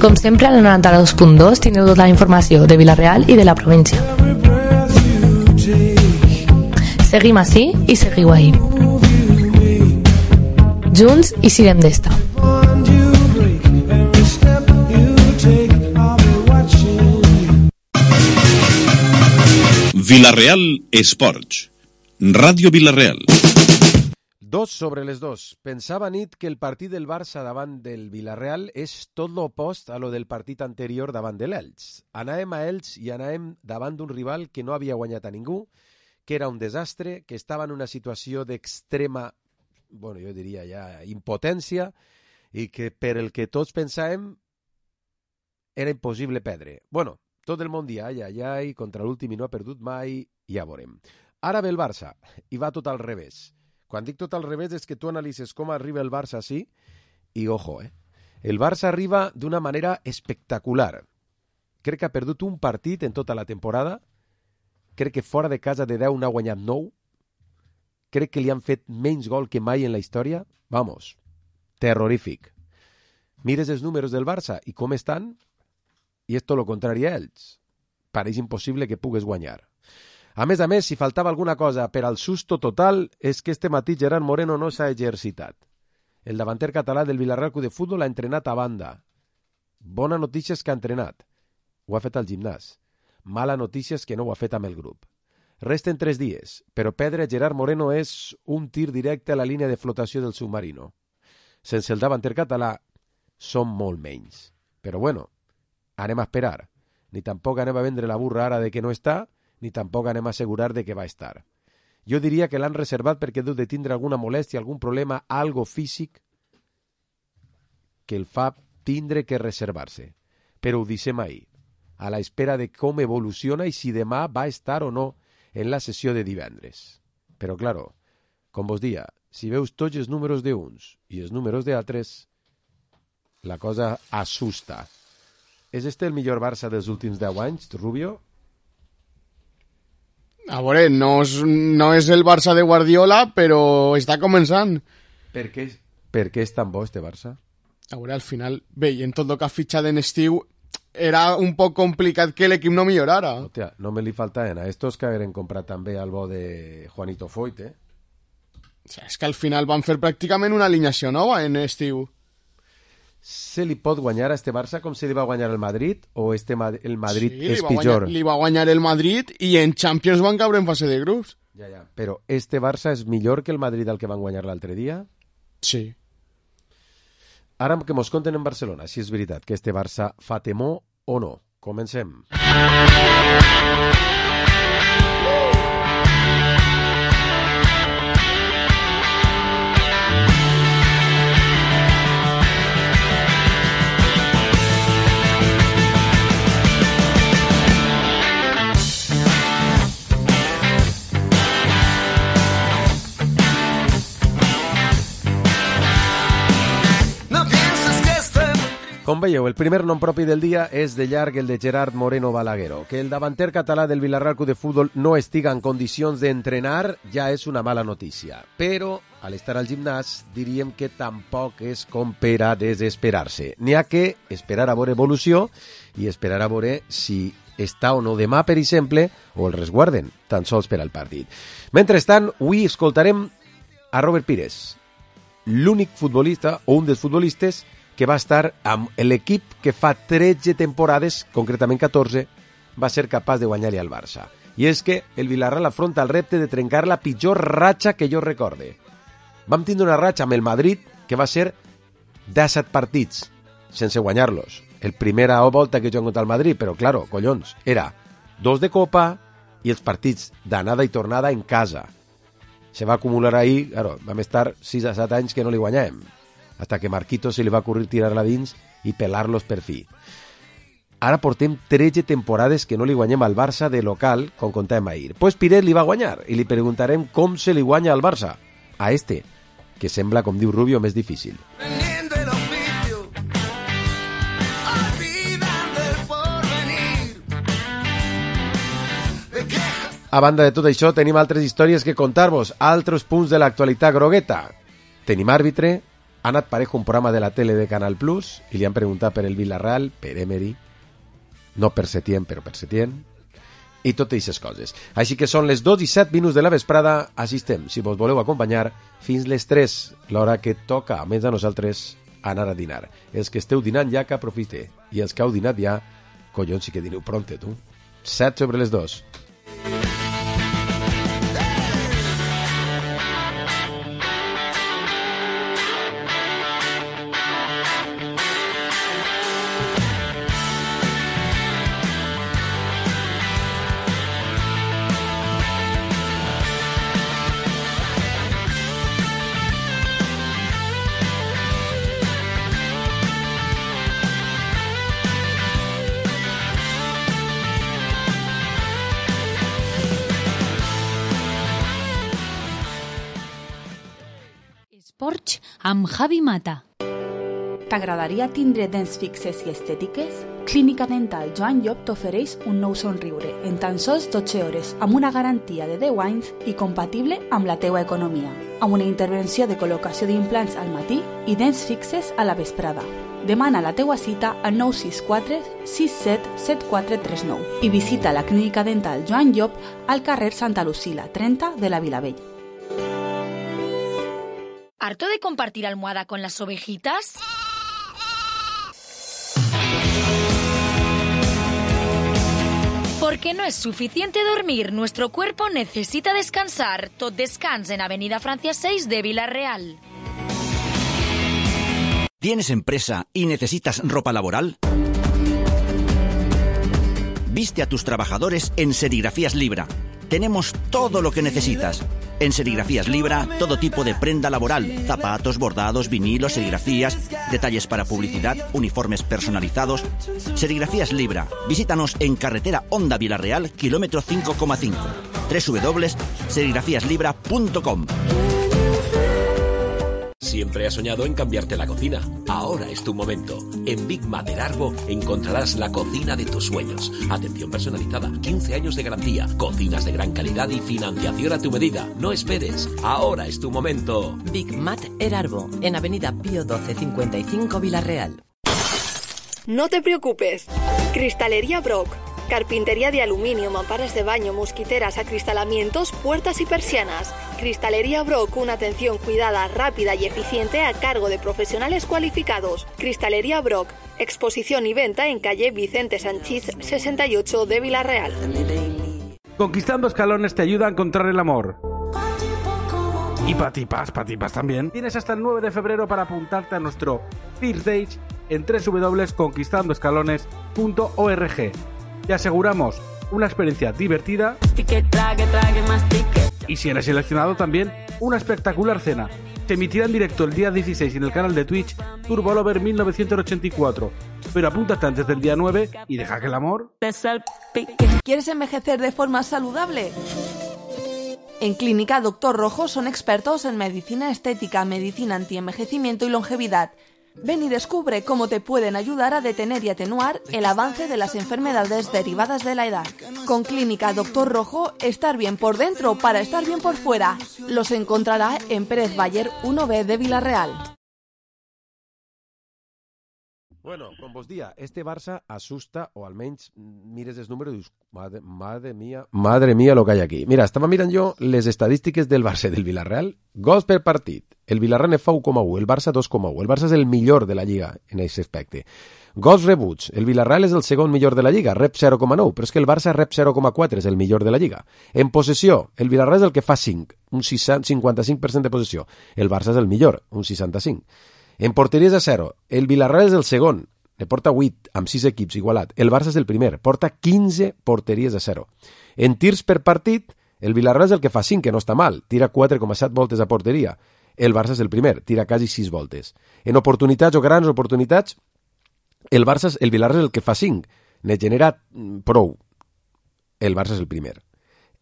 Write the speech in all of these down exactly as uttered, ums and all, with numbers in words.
Com sempre, a la noranta-dos punt dos tindreu tota la informació de Vila-real i de la província. Seguim ací i seguiu ahí. Junts i sirem d'esta. Vila-real Esports. Ràdio Vila-real. Dos sobre les dos. Pensava nit que el partit del Barça davant del Vila-real és tot l'opost a lo del partit anterior davant de l'Elx. Anàvem a Elx i anàvem davant d'un rival que no havia guanyat a ningú, que era un desastre, que estava en una situació d'extrema, bueno, jo diria ja impotència, i que per el que tots pensàvem era impossible perdre. Bueno, tot el món dia ai, ai, ai, contra l'últim i no ha perdut mai, ja veurem. Ara ve el Barça, i va tot al revés. Quan dic tot al revés és que tu analitzes com arriba el Barça així, i ojo, eh? El Barça arriba d'una manera espectacular. Crec que ha perdut un partit en tota la temporada, crec que fora de casa de deu n'ha guanyat nou, crec que li han fet menys gol que mai en la història. Vamos, terrorífic. Mires els números del Barça i com estan, i és tot el contrari a ells. Pareix impossible que pugues guanyar. A més a més, si faltava alguna cosa per al susto total, és que este matí Gerard Moreno no s'ha exercitat. El davanter català del Vila-real Club de Futbol ha entrenat a banda. Bona notícia és que ha entrenat. Ho ha fet al gimnàs. Mala notícia és que no ho ha fet amb el grup. Resten tres dies, però perdre Gerard Moreno és un tir directe a la línia de flotació del submarino. Sense el davanter català, som molt menys. Però bueno, anem a esperar. Ni tampoc anem a vendre la burra ara de que no està, ni tampoc anem a assegurar de que va estar. Jo diria que l'han reservat perquè deu de tindre alguna molèstia, algun problema, algo físic que el fa tindre que reservar-se. Però ho deixem ahir, a la espera de com evoluciona i si demà va estar o no en la sessió de divendres. Però, claro, com vos dia, si veus tots els números d'uns i els números d'altres, la cosa assusta. És este el millor Barça dels últims deu anys, Rubio? A veure, no és, no és el Barça de Guardiola, però està començant. Per què, per què és tan bo este Barça? A veure, al final, bé, i en tot el que ha fitxat en estiu, era un poc complicat que l'equip no millorara. Hòstia, no me li faltaven a estos que hagueren comprat també el bo de Juanito Foyt, eh? O sigui, és que al final van fer pràcticament una alineació nova en estiu. Se li pot guanyar a este Barça com se li va guanyar el Madrid o este Ma- el Madrid Sí, és li va pitjor? guanyar, li va guanyar el Madrid i en Champions van caure en fase de grups. Ja, ja. Però este Barça és millor que el Madrid al que van guanyar l'altre dia? Sí. Ara que mos conten en Barcelona, si és veritat que este Barça fa temor o no. Comencem. Com veieu, el primer nom propi del dia és de llarg el de Gerard Moreno Balaguero. Que el davanter català del Vila-real Club de Futbol no estiga en condicions d'entrenar ja és una mala notícia. Però, al estar al gimnàs, diríem que tampoc és com per a desesperar-se. N'hi ha que esperar a veure evolució i esperar a veure si està o no demà, per exemple, o el resguarden, tan sols per al partit. Mentrestant, avui escoltarem a Robert Pires, l'únic futbolista o un dels futbolistes que va estar amb l'equip que fa tretze temporades, concretament catorze, va ser capaç de guanyar-li al Barça. I és que el Vila-real afronta el repte de trencar la pitjor ratxa que jo recorde. Vam tindre una ratxa amb el Madrid que va ser disset partits sense guanyar-los. El primera volta que juguen contra el Madrid, però, claro, collons, era dos de Copa i els partits d'anada i tornada en casa. Se va acumular ahir, claro, vam estar sis a set anys que no li guanyàvem, hasta que Marquito se li va ocurrir tirar-la dins i pelar-los per fi. Ara portem tretze temporades que no li guanyem al Barça de local, com contàvem ahir. Pues Piret li va guanyar i li preguntarem com se li guanya al Barça. A este, que sembla, com diu Rubio, més difícil. A banda de tot això, tenim altres històries que contar-vos, altres punts de l'actualitat grogueta. Tenim àrbitre, Ha anat parejo un programa de la tele de Canal Plus i li han preguntat per el Villarreal, per Emery, no per Setién, però per Setién, i totes aquestes coses. Així que són les dos i set minuts de la vesprada, així estem, si vos voleu acompanyar, fins les tres, l'hora que toca, a més a nosaltres, anar a dinar. Els que esteu dinant ja, que aprofite, i els que heu dinat ja, collons, sí que dineu pronte, tu. Set sobre les dos. Esports amb Javi Mata. T'agradaria tindre dents fixes i estètiques? Clínica Dental Joan Llop t'ofereix un nou somriure en tan sols dotze hores amb una garantia de deu anys i compatible amb la teua economia, amb una intervenció de col·locació d'implants al matí i dents fixes a la vesprada. Demana la teua cita al nou sis quatre sis set set quatre tres nou i visita la Clínica Dental Joan Llop al carrer Santa Lucila trenta de la Vilavella. ¿Harto de compartir almohada con las ovejitas? Porque no es suficiente dormir, nuestro cuerpo necesita descansar. Tot Descans en Avenida Francia seis de Villarreal. ¿Tienes empresa y necesitas ropa laboral? Viste a tus trabajadores en Serigrafías Libra. Tenemos todo lo que necesitas. En Serigrafías Libra, todo tipo de prenda laboral, zapatos, bordados, vinilos, serigrafías, detalles para publicidad, uniformes personalizados. Serigrafías Libra. Visítanos en carretera Honda Villarreal, kilómetro cinco coma cinco. doble u doble u doble u punto serigrafías libra punto com. Siempre has soñado en cambiarte la cocina. Ahora es tu momento. En Big Mat Erarbo encontrarás la cocina de tus sueños. Atención personalizada, quince años de garantía, cocinas de gran calidad y financiación a tu medida. No esperes. Ahora es tu momento. Big Mat Erarbo, en Avenida Pío doce cincuenta y cinco Villarreal. No te preocupes. Cristalería Brock. Carpintería de aluminio, mamparas de baño, mosquiteras, acristalamientos, puertas y persianas. Cristalería Brock, una atención cuidada, rápida y eficiente a cargo de profesionales cualificados. Cristalería Brock, exposición y venta en calle Vicente Sanchís sesenta y ocho de Villarreal. Conquistando Escalones te ayuda a encontrar el amor. Y patipas, patipas también. Tienes hasta el nueve de febrero para apuntarte a nuestro First Dates en doble u doble u doble u punto conquistando escalones punto org. Te aseguramos una experiencia divertida y si eres seleccionado también una espectacular cena. Se emitirá en directo el día dieciséis en el canal de Twitch Turbolover mil novecientos ochenta y cuatro. Pero apúntate antes del día nueve y deja que el amor... ¿Quieres envejecer de forma saludable? En Clínica Doctor Rojo son expertos en medicina estética, medicina antienvejecimiento y longevidad. Ven y descubre cómo te pueden ayudar a detener y atenuar el avance de las enfermedades derivadas de la edad. Con Clínica Doctor Rojo, estar bien por dentro para estar bien por fuera. Los encontrará en Pérez Bayer uno B de Villarreal. Bueno, com vos dia, este Barça asusta, o almenys mires els números i dius, madre, madre mía, madre mía lo que hay aquí. Mira, estava mirant jo les estadístiques del Barça i del Villarreal, gols per partit. El Villarreal fa u coma u, el Barça dos coma u. El Barça és el millor de la Lliga en aquest aspecte. Gols rebuts, el Villarreal és el segon millor de la Lliga, rep zero coma nou, però és que el Barça rep zero coma quatre, és el millor de la Lliga. En possessió, el Villarreal és el que fa cinc, un cinquanta-cinc per cent de possessió. El Barça és el millor, un seixanta-cinc. En porteries a zero, el Villarreal és el segon, ne porta vuit, amb sis equips igualat. El Barça és el primer, porta quinze porteries a zero. En tirs per partit, el Villarreal és el que fa cinc, que no està mal, tira quatre coma set voltes a porteria. El Barça és el primer, tira quasi sis voltes. En oportunitats o grans oportunitats, el Barça és, el Villarreal és el que fa cinc, ne genera prou. El Barça és el primer.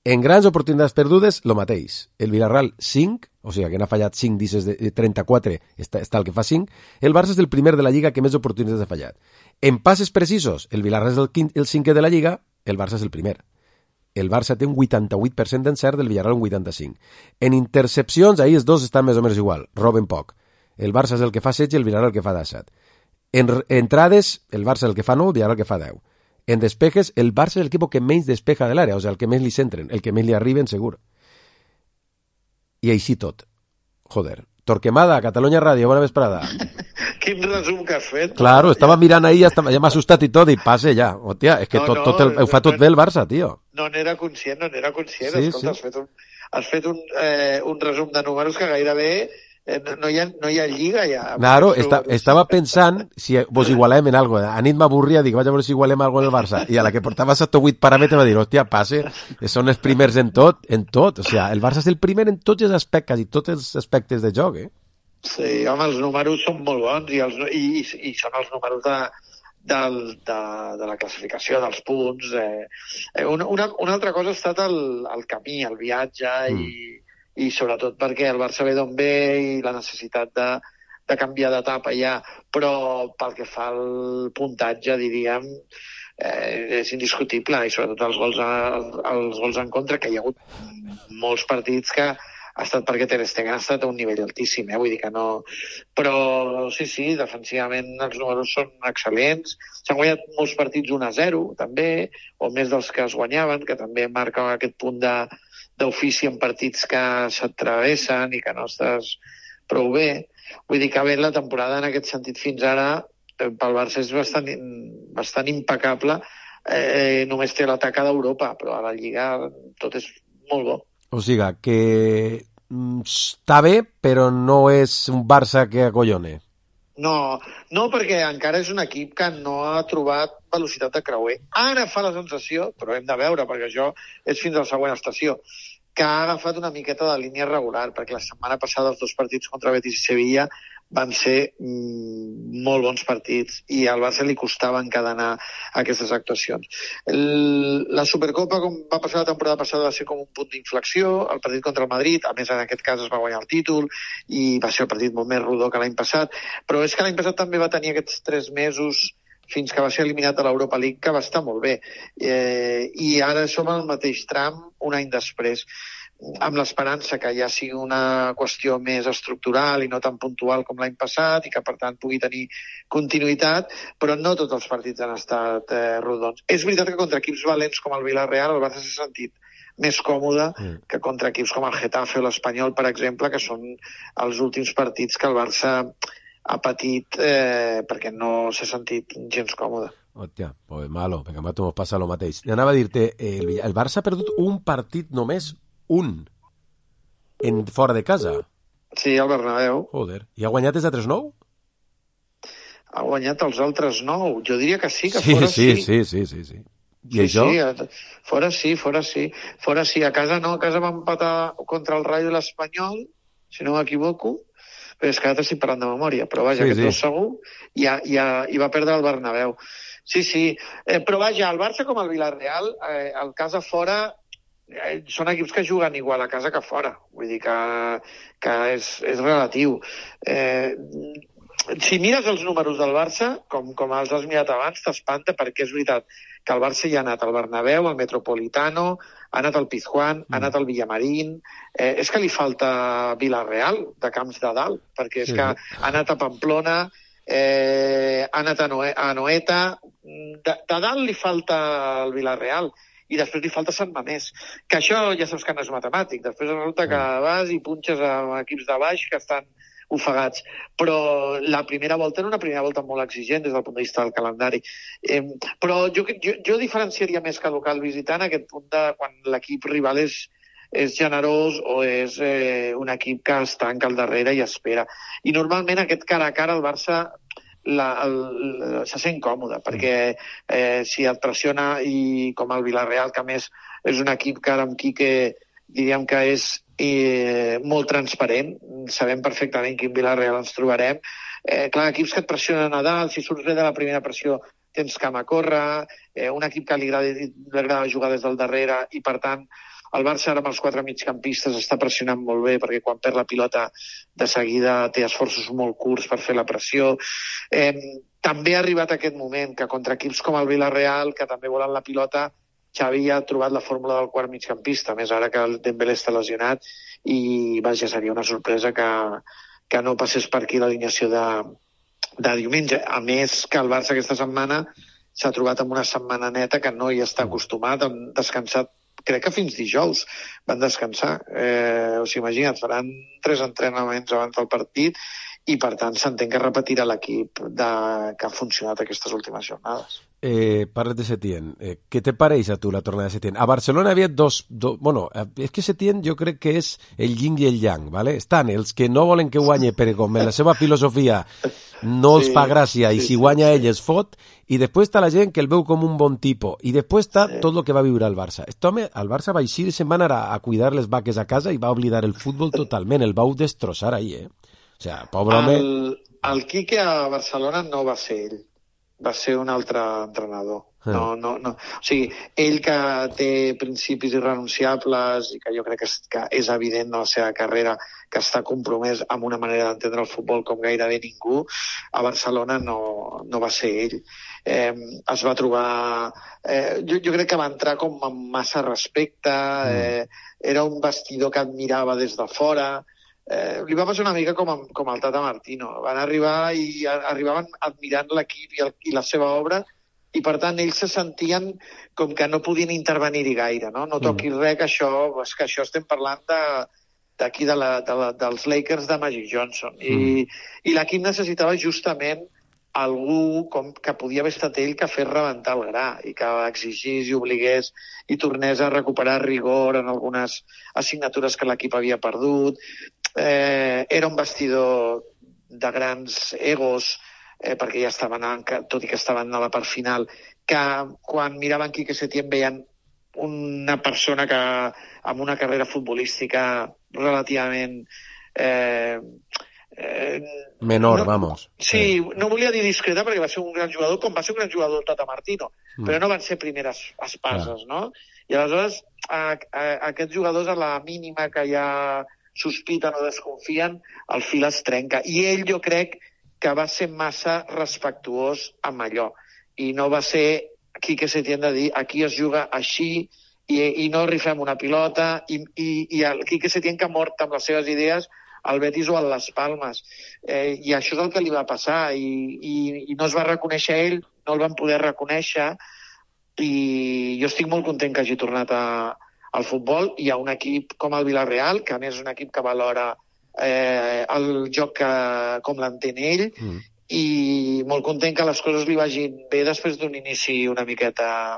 En grans oportunitats perdudes, lo mateix. El Villarreal cinc, o sigui que n'ha fallat cinc disses de trenta-quatre, està, està el que fa cinc. El Barça és el primer de la Lliga que més oportunitats ha fallat. En passes precisos, el Villarreal és el, quint, el cinquè de la Lliga, el Barça és el primer. El Barça té un vuitanta-vuit per cent d'encert, del Villarreal un vuitanta-cinc. En intercepcions, ahir els dos estan més o menys igual, roben poc. El Barça és el que fa setze i el Villarreal el que fa disset. En entrades, el Barça és el que fa nou, el Villarreal el que fa deu. En despejes, el Barça és el equip que menys despeja de l'àrea, o sigui, el que més li centren, el que més li arriben, segur. I així tot. Joder. Torquemada, Catalunya Ràdio, bona vesprada. Quin resum que has fet. Claro, estava mirant ahir, ja m'ha assustat i tot, i passe ja. Hòstia, és que tot, tot el, ho fa tot bé el Barça, tio. No n'era conscient, no n'era conscient. Sí, Escolta, sí. has fet un, has fet un, eh, un resum de números que gairebé eh, no, hi ha, no hi ha lliga ja. Claro, esta, estava pensant si vos igualem en algo. A nit m'avorria, dic, vaig a veure si igualem algo en el Barça. I a la que portava set o vuit paràmetres va dir, hòstia, passe, són els primers en tot, en tot. O sigui, el Barça és el primer en tots els aspectes, i tots els aspectes de joc, eh? Sí, home, els números són molt bons i, els, i, i són els números de, del, de, de la classificació, dels punts. Eh. Una, una, una altra cosa ha estat el, el camí, el viatge mm. i, i sobretot perquè el Barça ve d'on ve i la necessitat de, de canviar d'etapa ja, però pel que fa al puntatge, diríem, eh, és indiscutible, i sobretot els gols, a, els gols en contra, que hi ha hagut molts partits que ha estat perquè Ter Stegen ha estat a un nivell altíssim, eh? Vull dir que no... Però sí, sí, defensivament els números són excel·lents. S'han guanyat molts partits un a zero, també, o més dels que es guanyaven, que també marca aquest punt d'ofici en partits que s'atravessen i que no estàs prou bé. Vull dir que bé, la temporada en aquest sentit fins ara pel Barça és bastant, bastant impecable. Eh, només té l'atac d'Europa, però a la Lliga tot és molt bo. O sigui, que està bé, però no és un Barça que acollone. No, no, perquè encara és un equip que no ha trobat velocitat de creuer. Ara fa la sensació, però hem de veure, perquè això és fins a la següent estació, que ha agafat una miqueta de línia regular, perquè la setmana passada els dos partits contra Betis i Sevilla van ser mm, molt bons partits i al Barça li costava encadenar aquestes actuacions. El, la Supercopa, com va passar la temporada passada, va ser com un punt d'inflexió. El partit contra el Madrid, a més en aquest cas es va guanyar el títol i va ser el partit molt més rodó que l'any passat, però és que l'any passat també va tenir aquests tres mesos fins que va ser eliminat de l'Europa League, que va estar molt bé. Eh, I ara som al mateix tram un any després, amb l'esperança que ja sigui una qüestió més estructural i no tan puntual com l'any passat i que, per tant, pugui tenir continuïtat, però no tots els partits han estat eh, rodons. És veritat que contra equips valents com el Villarreal el Barça s'ha sentit més còmode mm. que contra equips com el Getafe o l'Espanyol, per exemple, que són els últims partits que el Barça ha patit eh, perquè no s'ha sentit gens còmode. Hòstia, pues malo, perquè a nosaltres ens passa el mateix. I anava a dir-te, el, el Barça ha perdut un partit només, un, en fora de casa. Sí, al Bernabéu. Joder, i ha guanyat els altres nou? Ha guanyat els altres nou, jo diria que sí, que sí, fora sí. sí. Sí, sí, sí, sí. I sí, això? Sí, fora sí, fora sí. Fora sí, a casa no, a casa va empatar contra el Rayo de l'Espanyol, si no m'equivoco, però és que ara estic parlant de memòria, però vaja, sí, aquest sí. dos segur, i, ha, i, ha, i va perdre el Bernabéu. Sí, sí, eh, però vaja, el Barça com el Villarreal, eh, el casa fora, eh, són equips que juguen igual a casa que fora, vull dir que, que és, és relatiu. Eh, si mires els números del Barça, com, com els has mirat abans, t'espanta perquè és veritat que el Barça ja ha anat al Bernabéu, al Metropolitano, ha anat al Pizjuán, mm. ha anat al Villamarín, eh, és que li falta Villarreal, de camps de dalt, perquè és sí. que ha anat a Pamplona, eh, ha anat a, Noe a Noeta, de, de dalt li falta el Villarreal, i després li falta Sant Mamés, que això ja saps que no és matemàtic, després resulta que vas i punxes amb equips de baix que estan ofegats, però la primera volta era una primera volta molt exigent des del punt de vista del calendari. Eh, però jo, jo, jo diferenciaria més que local visitant aquest punt de quan l'equip rival és, és generós o és eh, un equip que es tanca al darrere i espera. I normalment aquest cara a cara el Barça la, el, el, se sent còmode, perquè eh, si et pressiona, i com el Villarreal, que a més és un equip que ara amb Quique diríem que és eh, molt transparent, sabem perfectament quin Villarreal ens trobarem. Eh, clar, equips que et pressionen a dalt, si surts bé de la primera pressió tens camp a córrer, eh, un equip que li agrada, li agrada jugar des del darrere, i per tant el Barça ara amb els quatre migcampistes està pressionant molt bé, perquè quan perd la pilota de seguida té esforços molt curts per fer la pressió. Eh, també ha arribat aquest moment que contra equips com el Villarreal, que també volen la pilota, Xavi ha trobat la fórmula del quart migcampista, més ara que el Dembélé està lesionat, i vaja, seria una sorpresa que, que no passés per aquí l'alineació de, de diumenge. A més que el Barça aquesta setmana s'ha trobat amb una setmana neta que no hi està acostumat, han descansat, crec que fins dijous van descansar. Eh, o sigui, imagina't, faran tres entrenaments abans del partit i, per tant, s'entén que repetirà l'equip de, que ha funcionat aquestes últimes jornades. Eh, parles de Setién. Eh, ¿Qué te pareix a tu la tornada de Setién? A Barcelona havia dos, dos... Bueno, és que Setién jo crec que és el yin i el yang, ¿vale? Estan els que no volen que guanye perquè com la seva filosofia no els sí, fa gràcia i sí, si guanya sí, ell es fot, i després està la gent que el veu com un bon tipus, i després està sí. tot el que va viure al Barça. Este home, al Barça va eixir i se'n va anar a, a cuidar les vaques a casa i va oblidar el futbol totalment, el vau destrossar ahí, eh? O sea, pobre home... El, el Quique a Barcelona no va ser ell, va ser un altre entrenador. No, no, no. O sigui, ell que té principis irrenunciables i que jo crec que és, que és evident en la seva carrera que està compromès amb una manera d'entendre el futbol com gairebé ningú, a Barcelona no, no va ser ell. Eh, es va trobar... Eh, jo, jo crec que va entrar com amb massa respecte, eh, era un vestidor que admirava des de fora. Eh, li va passar una mica com, amb, com al Tata Martino. Van arribar i a, arribaven admirant l'equip i, el, i la seva obra, i per tant ells se sentien com que no podien intervenir-hi gaire, no? No toquis mm. res, que això, és que això estem parlant de, d'aquí de la, de la, dels Lakers de Magic Johnson. Mm. I, i l'equip necessitava justament algú com que podia haver estat ell que fes rebentar el gra i que exigís i obligués i tornés a recuperar rigor en algunes assignatures que l'equip havia perdut. Eh, era un vestidor de grans egos, eh, perquè ja estaven, tot i que estaven a la part final, que quan miraven Quique Setién veien una persona que amb una carrera futbolística relativament eh, eh, menor, no, vamos. Sí, eh. no volia dir discreta perquè va ser un gran jugador, com va ser un gran jugador el Tata Martino, mm. però no van ser primeres espases, ah. no? I aleshores a, a, a aquests jugadors a la mínima que ja sospiten o desconfien, el fil es trenca. I ell jo crec que va ser massa respectuós amb allò. I no va ser Quique Setién de dir aquí es juga així i, i no rifem una pilota i, i, i el Quique Setién que ha mort amb les seves idees al Betis o a les Palmes. Eh, I això és el que li va passar i, i, i no es va reconèixer ell, no el van poder reconèixer i jo estic molt content que hagi tornat a, al futbol. Hi ha un equip com el Villarreal, que a més és un equip que valora Eh, el joc que, com l'entén ell mm. i molt content que les coses li vagin bé després d'un inici una miqueta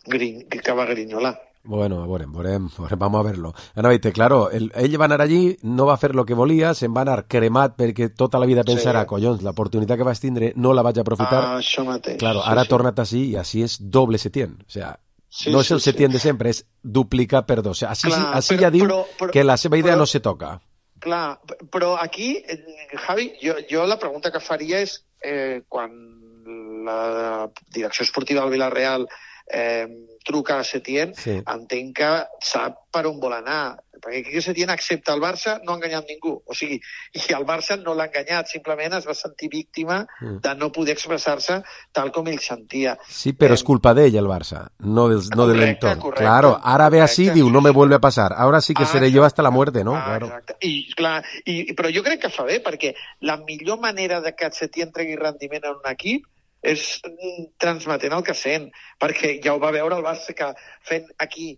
grin, que va grinyolar. Bueno, veurem, veurem, vamos a verlo. Anava a dir, claro, el, ell va anar allí, no va fer lo que volia, se'n va anar cremat perquè tota la vida pensarà, sí. collons, l'oportunitat que vaig tindre no la vaig aprofitar. Ah, això mateix. Claro, sí, ara sí. torna't així i així és doble Setién. O sea, sí, no és el sí, Setién sí. de sempre, és duplicar per dos. O sea, així, Clar, així però, ja diu però, però, que la seva idea però... no se toca. Clar, però aquí, Javi, jo, jo la pregunta que faria és eh, quan la direcció esportiva del Villarreal eh, truca a Setién, sí. entenc que sap per on vol anar, perquè Quique Setién accepta el Barça, no ha enganyat ningú, o sigui, i el Barça no l'ha enganyat, simplement es va sentir víctima mm. de no poder expressar-se tal com ell sentia. Sí, però eh, és culpa d'ell el Barça, no, del, no correcte, de l'entorn. Claro, ara ve així, diu, no me vuelve a pasar, ahora sí que ah, seré jo hasta la muerte, no? Ah, claro. Exacte, I, clar, i, però jo crec que fa bé, perquè la millor manera de que Setién tregui rendiment en un equip és transmetent el que sent, perquè ja ho va veure el Barça que fent aquí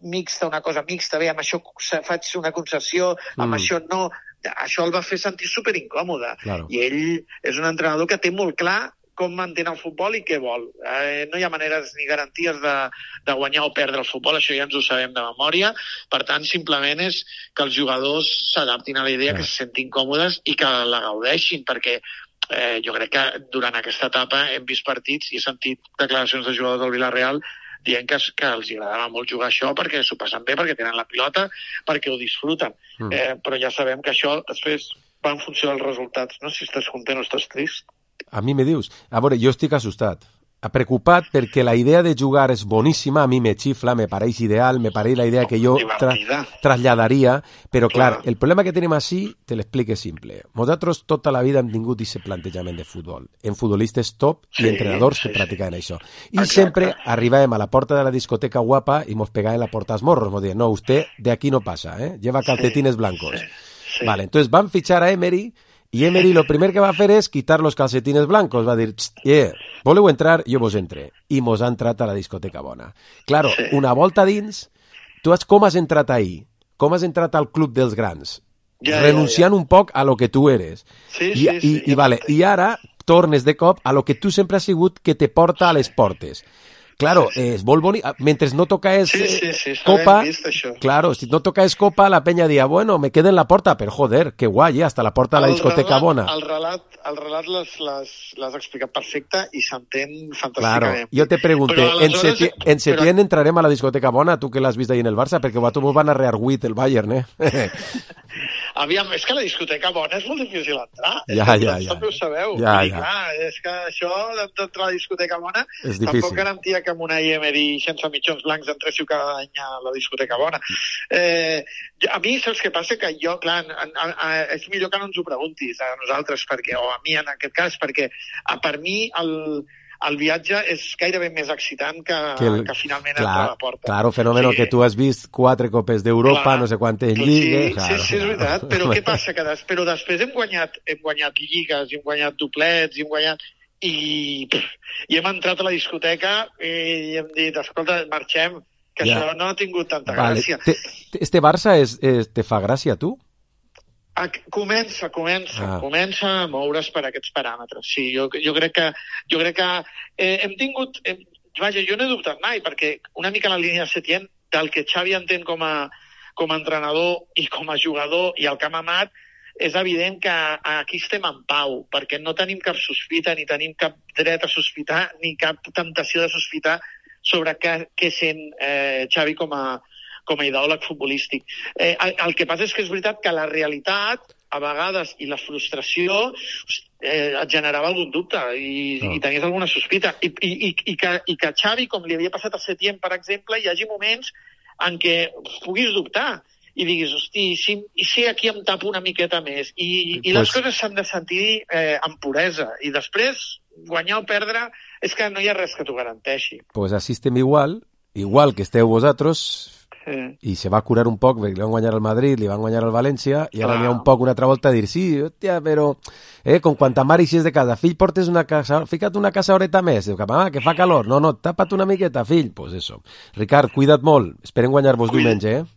mixta, una cosa mixta, bé, amb això faig una concessió, amb mm. això no, això el va fer sentir superincòmode. Claro. I ell és un entrenador que té molt clar com mantén el futbol i què vol. Eh, no hi ha maneres ni garanties de, de guanyar o perdre el futbol, això ja ens ho sabem de memòria, per tant, simplement és que els jugadors s'adaptin a la idea, yeah. que se sentin còmodes i que la gaudeixin, perquè Eh, jo crec que durant aquesta etapa hem vist partits i he sentit declaracions de jugadors del Villarreal dient que, que els agradava molt jugar això perquè s'ho passen bé, perquè tenen la pilota, perquè ho disfruten. Mm. Eh, però ja sabem que això després va en funció dels resultats. No sé si estàs content o estàs trist. A mi me dius? A veure, jo estic assustat. Preocupat perquè la idea de jugar és boníssima, a mi me xifla, me pareix ideal, me pareix la idea que jo tra trasladaria, però clar, clar, el problema que tenim així te l'explique simple. Nosaltres tota la vida hem tingut aquest plantejament de futbol, en futbolistes top sí, i entrenadors sí, que practicaven sí. això. I Exacte. Sempre arribàvem a la porta de la discoteca guapa i mos pegaven la porta als morros, mos deien, no, usted de aquí no pasa, eh? Lleva calcetines blancos. Sí. Sí. Vale, entonces van a fichar a Emery y Emery lo primer que va a hacer es quitar los calcetines blancos. Va a dir, yeah, voleu entrar, jo vos entre. I mos ha entrat a la discoteca bona. Claro, sí. Una volta dins, tu has, com has entrat ahí? Com has entrat al club dels grans? Ja, renunciant ja, ja. un poc a lo que tu eres. Sí, I, sí, i, sí. I, vale, i ara tornes de cop a lo que tu sempre has sigut que te porta a les portes. Claro, sí, sí. És molt bonic. Mentre no toca es sí, sí, sí, copa, vist, claro, si no toca es copa, la peña dia, bueno, me quedo en la porta, pero joder, que guai, eh? Hasta la porta de la discoteca relat, bona. El relat, el relat l'has explicat perfecte i s'entén fantàsticament. Claro, jo te pregunté, en, seti en septiembre però... entrarem a la discoteca bona, tu que l'has vist ahí en el Barça, perquè a tu mos van a rearguit el Bayern, eh? Aviam, és que la discoteca bona és molt difícil entrar. Ja, és ja, ja. També ho sabeu. Ja, I, ja. clar, és que això d'entrar a la discoteca bona és tampoc garantia que amb una Emery sense mitjons blancs entréssiu cada any a la discoteca bona. Eh, a mi, saps què passa? Que jo, clar, a, a, a, és millor que no ens ho preguntis a nosaltres, perquè, o a mi en aquest cas, perquè a, per mi el... el viatge és gairebé més excitant que, que, el, que finalment clar, entrar a la porta. Claro, fenómeno, sí. Que tu has vist quatre copes d'Europa, no sé quantes lligues... Sí, claro, sí, sí, és veritat, però què passa? Que des, però després hem guanyat, hem guanyat lligues, hem guanyat doblets, hem guanyat... I, pff, i hem entrat a la discoteca i hem dit, escolta, marxem, que ja. Això no ha tingut tanta vale. Gràcia. Te, este Barça és, és, te fa gràcia, tu? Comença, comença, ah. comença a moure's per aquests paràmetres. Sí, jo, jo crec que, jo crec que eh, hem tingut... Eh, vaja, jo no he dubtat mai, perquè una mica la línia Setién, del que Xavi entén com a, com a entrenador i com a jugador i el que ha mamat, és evident que aquí estem en pau, perquè no tenim cap sospita, ni tenim cap dret a sospitar, ni cap temptació de sospitar sobre què, què sent eh, Xavi com a com a ideòleg futbolístic. Eh, el, el que passa és que és veritat que la realitat, a vegades, i la frustració eh, et generava algun dubte i, no. i tenies alguna sospita. I, i, i, i, que, I que Xavi, com li havia passat a Setién, per exemple, hi hagi moments en què puguis dubtar i diguis, hosti, si, i si aquí em tapo una miqueta més? I, i les pues... coses s'han de sentir eh, amb puresa. I després, guanyar o perdre, és que no hi ha res que t'ho garanteixi. Pues així estem igual, igual que esteu vosaltres, sí. I se va curar un poc, perquè li van guanyar al Madrid, li van guanyar al València, i ara n'hi ha un poc una altra volta a dir, sí, hòstia, però, eh, com quanta mare eixes de casa, fill, portes una casa, fica't una casa horeta més, diu, ah, que fa calor, no, no, tapa't una miqueta, fill, pues eso. Ricard, cuida't molt, esperem guanyar-vos Cuida. diumenge, eh?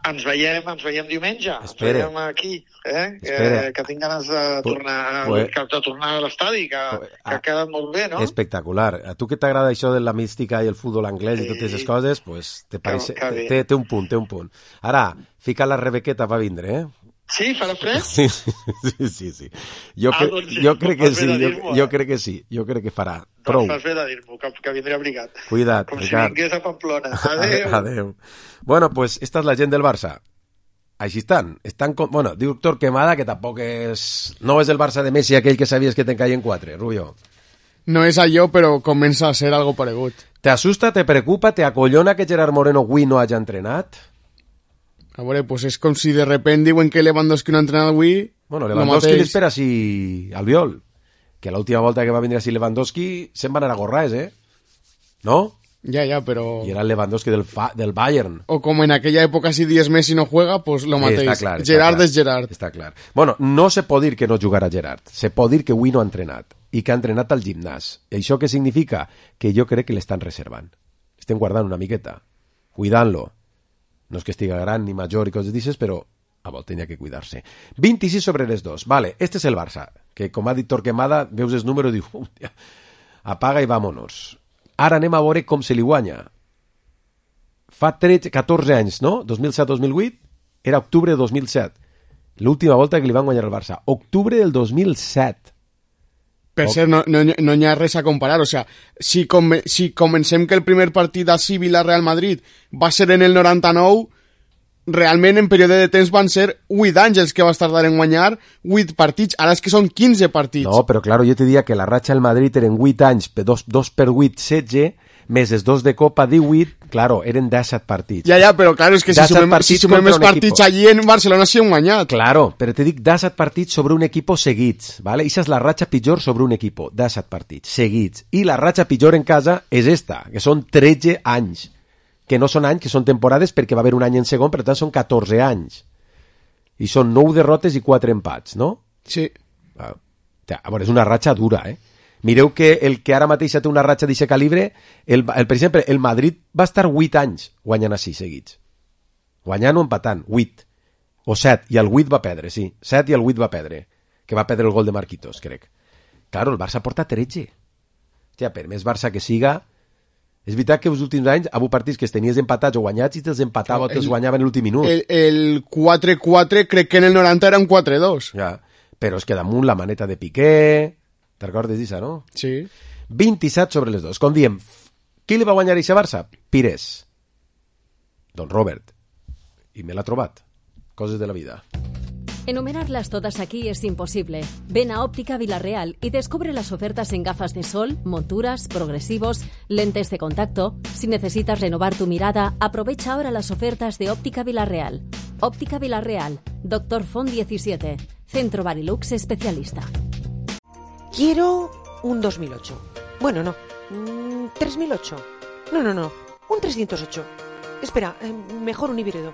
Ens veiem, ens veiem diumenge, Espere. ens veiem aquí, eh? Que, que tinc ganes de tornar, pues, de tornar a l'estadi, que, pues, que ha quedat molt bé, no? Espectacular. A tu que t'agrada això de la mística i el futbol anglès sí. I totes aquestes coses, pues, te pareix, té, té, té un punt, té un punt. Ara, fica la Rebequeta va vindre, eh? Sí, farà fred? Sí, sí, sí, sí, sí. Jo, ah, cre doncs sí, jo crec que sí, jo, jo crec que sí, jo crec que farà. Prou. Doncs fas bé de dir-m'ho, que, que vindré abrigat. Cuida't, com Ricard. Si vingués a Pamplona. Adéu. Adéu. Bueno, pues esta és la gent del Barça. Així estan. Estan con... Bueno, diu Doctor Quemada, que tampoc és... No és el Barça de Messi aquell que sabies que te'n caien quatre, Rubio. No és allò, però comença a ser algo paregut. Te asusta, te preocupa, te acollona que Gerard Moreno avui no hagi entrenat? A veure, pues és com si de repente diuen que Lewandowski no ha entrenat avui... Bueno, Lewandowski l'espera si Albiol, que l'última volta que va vindre així Lewandowski se'n va anar a Gorraes, eh? No? Ya, ya, pero... Y era el Lewandowski del, fa... del Bayern. O como en aquella época si diez Messi no juega, pues lo matéis. Està clar, està Gerard clar, és Gerard. Està clar. Bueno, no se pot dir que no jugarà Gerard. Se pot dir que avui no ha entrenat. I que ha entrenat al gimnàs. I això què significa? Que jo crec que l'estan reservant. Estem guardant una miqueta. Cuidant-lo. No és que estiga gran ni major i coses d'aixes, però a vol tenia que cuidar-se. vint-i-sis sobre les dos. Vale, este és el Barça, que com ha dit Torquemada, veus el número i diu, apaga i vámonos. Ara anem a veure com se li guanya. Fa tretze, catorze anys, no? dos mil set dos mil vuit? Era octubre de dos mil set. L'última volta que li van guanyar el Barça. Octubre del dos mil set. Per cert, no, no, no hi ha res a comparar. O sea, si, com, si comencem que el primer partit així Villarreal Madrid va ser en el noranta-nou, realment en període de temps van ser vuit anys els que va tardar en guanyar vuit partits. Ara és que són quinze partits. No, però claro, jo te diria que la ratxa del Madrid eren vuit anys, dos, dos per vuit, setze, més els dos de Copa, divuit, claro, eren disset partits. Ja, ja, però claro, és que si sumem, si sumem els partits equipo. Allí en Barcelona sí han guanyat. Claro, però te dic disset partits sobre un equip seguits, ¿vale? Ixa és la ratxa pitjor sobre un equip, disset partits seguits. I la ratxa pitjor en casa és esta, que són tretze anys. Que no són anys, que són temporades, perquè va haver un any en segon, per tant són catorze anys. i són nou derrotes i quatre empats, no? Sí. Ah, a veure, és una ratxa dura, eh? Mireu que el que ara mateix té una ratxa d'aquest calibre, el, el, per exemple, el Madrid va estar vuit anys guanyant així seguits. Guanyant o empatant, vuit. O set, i el vuit va perdre, sí. set i el vuit va perdre. Que va perdre el gol de Marquitos, crec. Claro, el Barça porta tretze. Hòstia, per més Barça que siga... És veritat que els últims anys ha hagut partits que es tenies empatats o guanyats i te'ls empatava o te'ls guanyava en l'últim minut. El, el quatre quatre crec que en el noranta era un quatre dos. Ja, però és que damunt la maneta de Piqué... Te'n recordes d'això, no? Sí. vint-i-set sobre les dos. Com diem, qui li va guanyar a eixa Barça? Pires. Don Robert. I me l'ha trobat. Coses de la vida. Enumerarlas todas aquí es imposible. Ven a Óptica Villarreal y descubre las ofertas en gafas de sol, monturas, progresivos, lentes de contacto. Si necesitas renovar tu mirada, aprovecha ahora las ofertas de Óptica Villarreal. Óptica Villarreal, Doctor Font diecisiete, Centro Barilux especialista. Quiero un dos mil ocho. Bueno, no. Mm, tres mil ocho. No, no, no. Un trescientos ocho. Espera, eh, mejor un híbrido.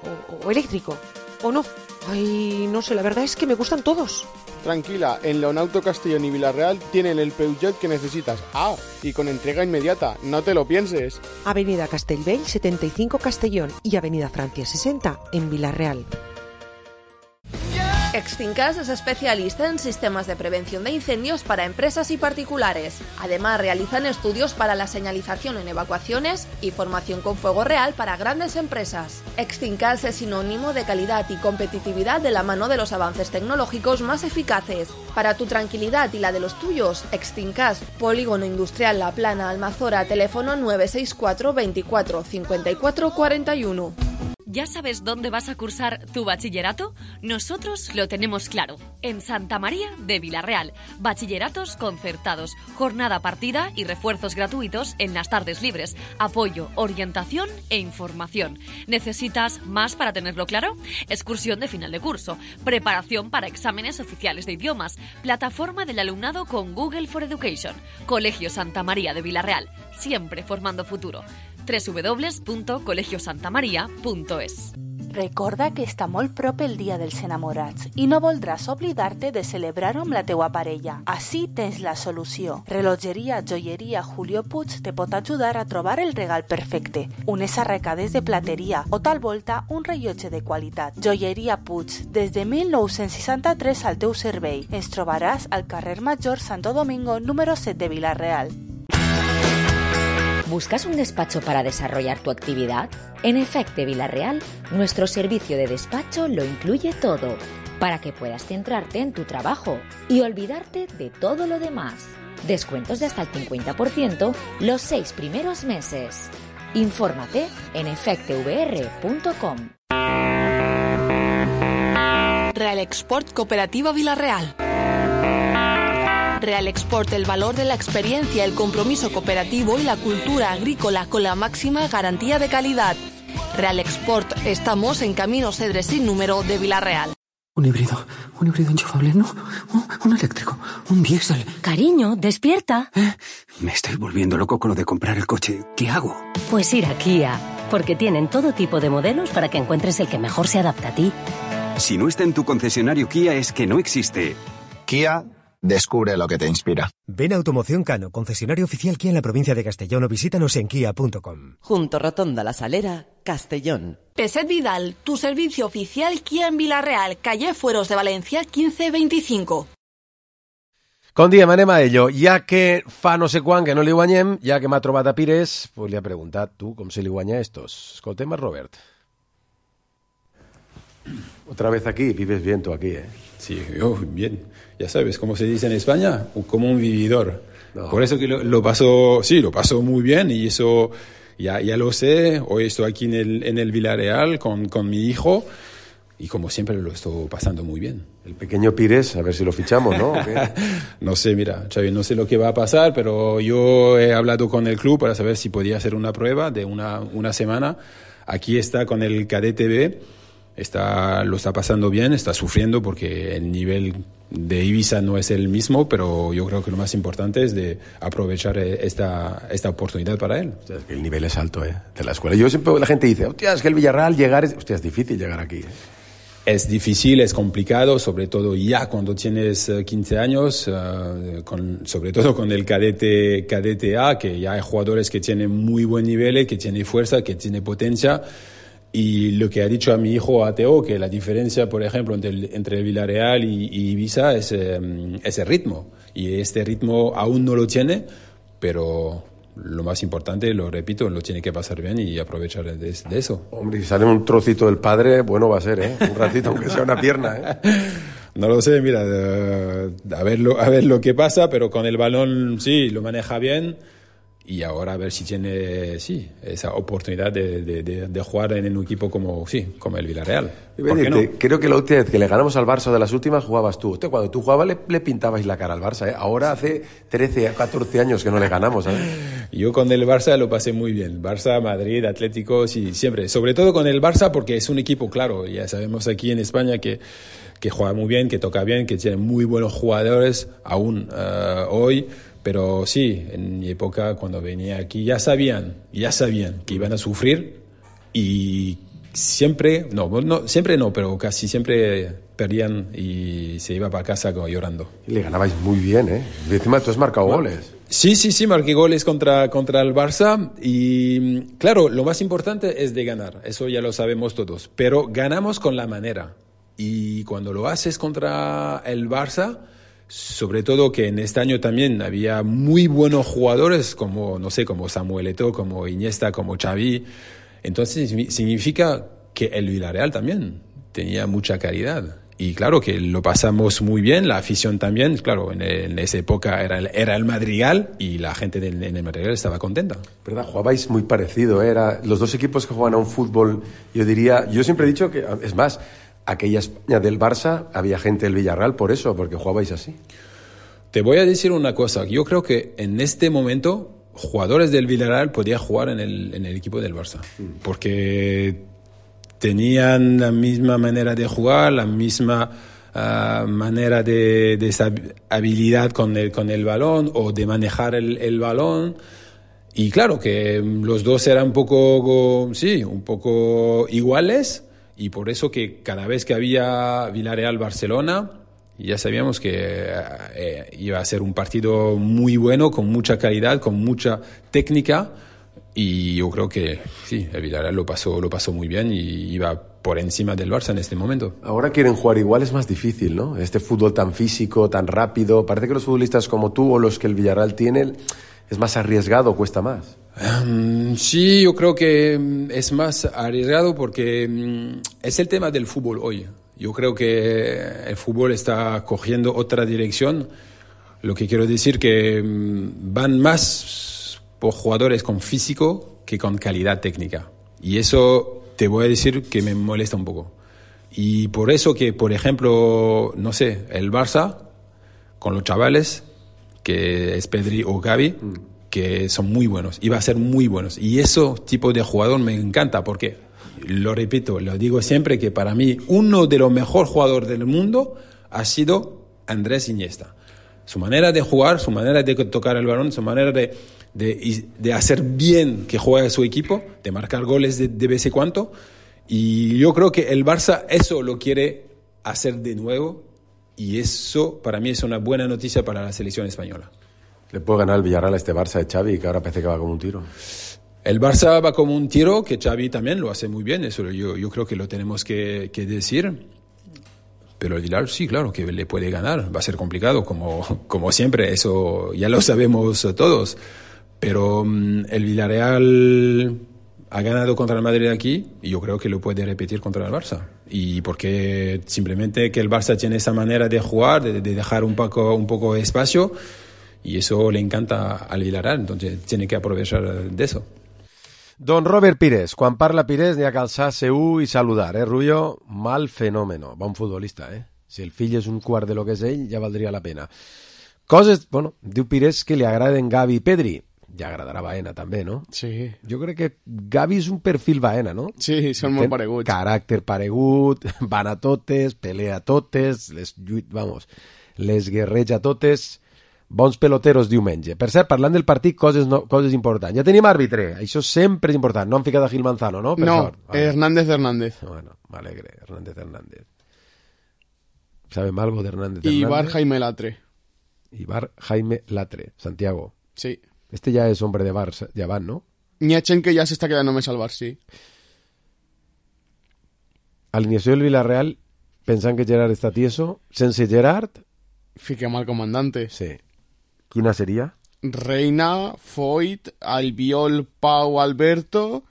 O, o eléctrico. O no. Ay, no sé, la verdad es que me gustan todos. Tranquila, en Leonauto Castellón y Villarreal tienen el Peugeot que necesitas. Ah, y con entrega inmediata, no te lo pienses. Avenida Castellbell setenta y cinco Castellón y Avenida Francia sesenta en Villarreal. Extincas es especialista en sistemas de prevención de incendios para empresas y particulares. Además, realizan estudios para la señalización en evacuaciones y formación con fuego real para grandes empresas. Extincas es sinónimo de calidad y competitividad de la mano de los avances tecnológicos más eficaces. Para tu tranquilidad y la de los tuyos, Extincas, Polígono Industrial La Plana, Almazora, teléfono nueve seis cuatro veinticuatro cincuenta y cuatro cuarenta y uno. ¿Ya sabes dónde vas a cursar tu bachillerato? Nosotros lo tenemos claro. En Santa María de Villarreal. Bachilleratos concertados, jornada partida y refuerzos gratuitos en las tardes libres. Apoyo, orientación e información. ¿Necesitas más para tenerlo claro? Excursión de final de curso. Preparación para exámenes oficiales de idiomas. Plataforma del alumnado con Google for Education. Colegio Santa María de Villarreal. Siempre formando futuro. doble u doble u doble u punto colegio santa maria punto es. Recorda que està molt prop el Dia dels Enamorats i no voldràs oblidar-te de celebrar-ho amb la teua parella. Així tens la solució. Relogeria Joieria Julio Puig te pot ajudar a trobar el regal perfecte. Unes arracades de plateria o tal volta un rellotge de qualitat. Joieria Puig, des de mil nou-cents seixanta-tres al teu servei. Ens trobaràs al carrer Major Santo Domingo número set de Villarreal. ¿Buscas un despacho para desarrollar tu actividad? En Efecte Villarreal, nuestro servicio de despacho lo incluye todo, para que puedas centrarte en tu trabajo y olvidarte de todo lo demás. Descuentos de hasta el cincuenta por ciento los seis primeros meses. Infórmate en efecte v r punto com. Real Export Cooperativa Villarreal. Real Export, el valor de la experiencia, el compromiso cooperativo y la cultura agrícola con la máxima garantía de calidad. Real Export, estamos en Camino Cedres sin número de Villarreal. Un híbrido, un híbrido enchufable, no, un, un eléctrico, un diésel. Cariño, despierta. ¿Eh? Me estoy volviendo loco con lo de comprar el coche. ¿Qué hago? Pues ir a Kia, porque tienen todo tipo de modelos para que encuentres el que mejor se adapta a ti. Si no está en tu concesionario Kia es que no existe. Kia, descubre lo que te inspira. Ven a Automoción Cano, concesionario oficial Kia en la provincia de Castellón, o visítanos en kia punto com. Junto Rotonda La Salera, Castellón. Peset Vidal, tu servicio oficial Kia en Villarreal, calle Fueros de Valencia quince veinticinco. Com diem, anem a ello. Ja que fa no sé quan que no li guanyem, ja que m'ha trobat a Pires, pues li ha preguntat tu com se li guanya a estos. Escoltem a Robert. Otra vez aquí, vives bien tú aquí, ¿eh? Sí, yo bien. Ya sabes, como se dice en España, como un vividor. No. Por eso que lo, lo paso, sí, lo paso muy bien y eso ya, ya lo sé. Hoy estoy aquí en el, en el Villarreal con, con mi hijo y como siempre lo estoy pasando muy bien. El pequeño Pires, a ver si lo fichamos, ¿no? No sé, mira, Xavi, no sé lo que va a pasar, pero yo he hablado con el club para saber si podía hacer una prueba de una, una semana. Aquí está con el cadete B. Está, lo está pasando bien, está sufriendo porque el nivel de Ibiza no es el mismo, pero yo creo que lo más importante es de aprovechar esta, esta oportunidad para él. O sea, es que el nivel es alto, ¿eh? De la escuela. Yo siempre, la gente dice, hostia, es que el Villarreal llegar es... Hostia, es difícil llegar aquí, ¿eh? es difícil, es complicado, sobre todo ya cuando tienes quince años, uh, con, sobre todo con el cadete, cadete A, que ya hay jugadores que tienen muy buen nivel, que tienen fuerza, que tienen potencia. Y lo que ha dicho a mi hijo Ateo, que la diferencia, por ejemplo, entre el, entre el Villarreal y, y Ibiza es, um, es el ritmo. Y este ritmo aún no lo tiene, pero lo más importante, lo repito, lo tiene que pasar bien y aprovechar de, de eso. Hombre, si sale un trocito del padre, bueno va a ser, ¿eh? Un ratito, aunque sea una pierna, ¿eh? No lo sé, mira, uh, a, ver lo, a ver lo que pasa, pero con el balón sí, lo maneja bien. Y ahora a ver si tiene, sí, esa oportunidad de, de, de, de jugar en un equipo como, sí, como el Villarreal. ¿Por qué no? Creo que la última vez que le ganamos al Barça de las últimas jugabas tú. Usted, cuando tú jugabas le, le pintabais la cara al Barça, ¿eh? Ahora hace trece, catorce años que no le ganamos, ¿sabes? Yo con el Barça lo pasé muy bien. Barça, Madrid, Atlético, sí, siempre. Sobre todo con el Barça porque es un equipo, claro, ya sabemos aquí en España que, que juega muy bien, que toca bien, que tiene muy buenos jugadores aún uh, hoy. Pero sí, en mi época cuando venía aquí ya sabían, ya sabían que iban a sufrir y siempre, no, no, siempre no, pero casi siempre perdían y se iba para casa como llorando. Y le ganabais muy bien, ¿eh? Y encima tú has marcado bueno, goles. Sí, sí, sí, marqué goles contra, contra el Barça y claro, lo más importante es de ganar, eso ya lo sabemos todos, pero ganamos con la manera y cuando lo haces contra el Barça, sobre todo que en este año también había muy buenos jugadores como, no sé, como Samuel Eto'o, como Iniesta, como Xavi. Entonces significa que el Villarreal también tenía mucha calidad. Y claro que lo pasamos muy bien, la afición también. Claro, en, en esa época era el, era el Madrigal y la gente de, en el Madrigal estaba contenta. ¿Verdad? Jugabais muy parecido, ¿eh? Era los dos equipos que juegan a un fútbol, yo diría, yo siempre he dicho que, es más, aquella España del Barça, había gente del Villarreal por eso, porque jugabais así. Te voy a decir una cosa. Yo creo que en este momento jugadores del Villarreal podían jugar en el, en el equipo del Barça. Mm. Porque tenían la misma manera de jugar, la misma uh, manera de, de esa habilidad con el, con el balón o de manejar el, el balón. Y claro que los dos eran un poco, sí, un poco iguales. Y por eso que cada vez que había Villarreal-Barcelona, ya sabíamos que eh, iba a ser un partido muy bueno, con mucha calidad, con mucha técnica. Y yo creo que sí, el Villarreal lo pasó, lo pasó muy bien y iba por encima del Barça en este momento. Ahora quieren jugar igual, es más difícil, ¿no? Este fútbol tan físico, tan rápido. Parece que los futbolistas como tú o los que el Villarreal tiene es más arriesgado, cuesta más. Um, sí, yo creo que es más arriesgado porque um, es el tema del fútbol hoy. Yo creo que el fútbol está cogiendo otra dirección. Lo que quiero decir que um, van más por jugadores con físico que con calidad técnica. Y eso te voy a decir que me molesta un poco. Y por eso que, por ejemplo, no sé, el Barça, con los chavales, que es Pedri o Gavi, mm. que son muy buenos, y va a ser muy buenos. Y ese tipo de jugador me encanta porque, lo repito, lo digo siempre, que para mí uno de los mejores jugadores del mundo ha sido Andrés Iniesta. Su manera de jugar, su manera de tocar el balón, su manera de, de, de hacer bien que juegue su equipo, de marcar goles de, de vez en cuando. Y yo creo que el Barça eso lo quiere hacer de nuevo. Y eso, para mí, es una buena noticia para la selección española. ¿Le puede ganar el Villarreal a este Barça de Xavi, que ahora parece que va como un tiro? El Barça va como un tiro, que Xavi también lo hace muy bien. Eso yo, yo creo que lo tenemos que, que decir. Pero el Villarreal, sí, claro, que le puede ganar. Va a ser complicado, como, como siempre. Eso ya lo sabemos todos. Pero um, el Villarreal ha ganado contra el Madrid aquí y yo creo que lo puede repetir contra el Barça. Y porque simplemente que el Barça tiene esa manera de jugar, de, de dejar un poco, un poco de espacio, y eso le encanta al Villarreal, entonces tiene que aprovechar de eso. Don Robert Pires, quan parla Pires n'hi ha que alçar seu i saludar, eh, Rullo? Mal fenómeno, bon futbolista, eh? Si el fill és un quart de lo que és ell, ja valdria la pena. Coses, bueno, diu Pires que li agraden Gavi i Pedri. Ja agradarà Baena també, no? Sí. Jo crec que Gavi és un perfil Baena, no? Sí, són molt pareguts. Caràcter paregut, van a totes, pelea a totes, les lluit, vamos, les guerreja a totes, bons peloteros diumenge. Per cert, parlant del partit, coses, no, coses importants. Ja tenim àrbitre, això sempre és important. No han ficat a Gil Manzano, no? Per no, sort. Vale. Hernández Hernández. Bueno, m'alegre, Hernández Hernández. ¿Sabe algo de Hernández Y Hernández? Ibar Jaime Latre. Ibar Jaime Latre, Santiago. Sí. Este ya es hombre de Barça, ya van, ¿no? Niachen, que ya se está quedando més al Bar, sí. Alineació del Villarreal, pensant que Gerard està tieso. Sense Gerard... Fiquem al comandante. Sí. Quina seria? Reina, Foyt, Albiol, Pau, Alberto,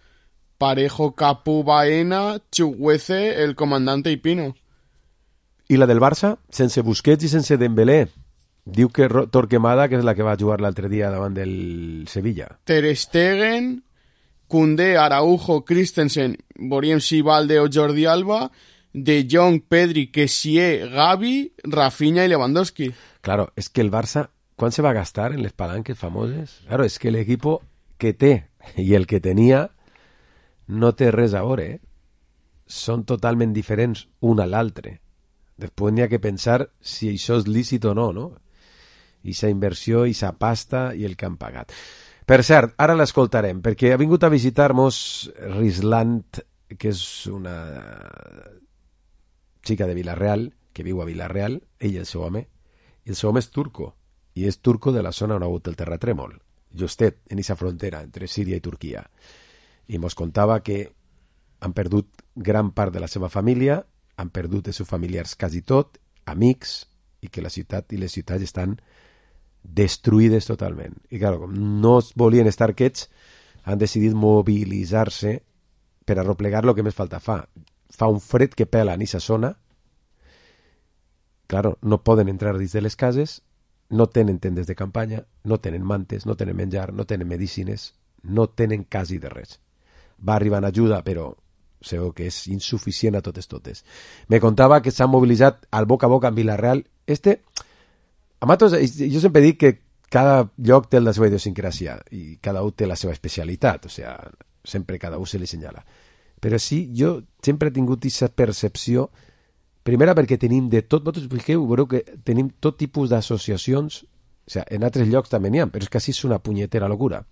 Parejo, Capu, Baena, Chuguece, el comandante i Pino. I la del Barça, sense Busquets i sense Dembélé. Diu que Torquemada, que és la que va jugar l'altre dia davant del Sevilla. Ter Stegen, Koundé, Araujo, Christensen, veurem si Valde o Jordi Alba, De Jong, Pedri, Kessié, Gavi, Rafinha i Lewandowski. Claro, es que el Barça, ¿cuán se va a gastar en les palanques famoses? Claro, es que el equipo que té i el que tenia no té res a veure, eh? Són totalment diferents un a l'altre. Després n'hi ha que pensar si això és lícit o no, no? I sa inversió, i sa pasta, i el que han pagat. Per cert, ara l'escoltarem, perquè ha vingut a visitar-nos Rislant, que és una xica de Villarreal, que viu a Villarreal, ell i el seu home, i el seu home és turco, i és turco de la zona on ha hagut el terratrèmol, justet en aquesta frontera entre Síria i Turquia. I mos contava que han perdut gran part de la seva família, han perdut els seus familiars quasi tot, amics, i que la ciutat i les ciutats estan destruïdes totalment. I clar, com no volien estar quiets, han decidit mobilitzar-se per arroplegar lo que més falta fa. Fa un fred que pela en aquesta zona. Claro, no poden entrar dins de les cases, no tenen tendes de campanya, no tenen mantes, no tenen menjar, no tenen medicines, no tenen quasi de res. Va arribar en ajuda, però sabeu que és insuficient a totes totes. Me contava que s'han mobilitzat al boca a boca en Villarreal. Este, a matos, jo sempre dic que cada lloc té la seva idiosincràsia i cada un té la seva especialitat, o sea, sempre cada un se li senyala. Però sí, jo sempre he tingut aquesta percepció, primera perquè tenim de tot, vosaltres fixeu, veureu que tenim tot tipus d'associacions, o sea, en altres llocs també n'hi ha, però és que així és una punyetera locura.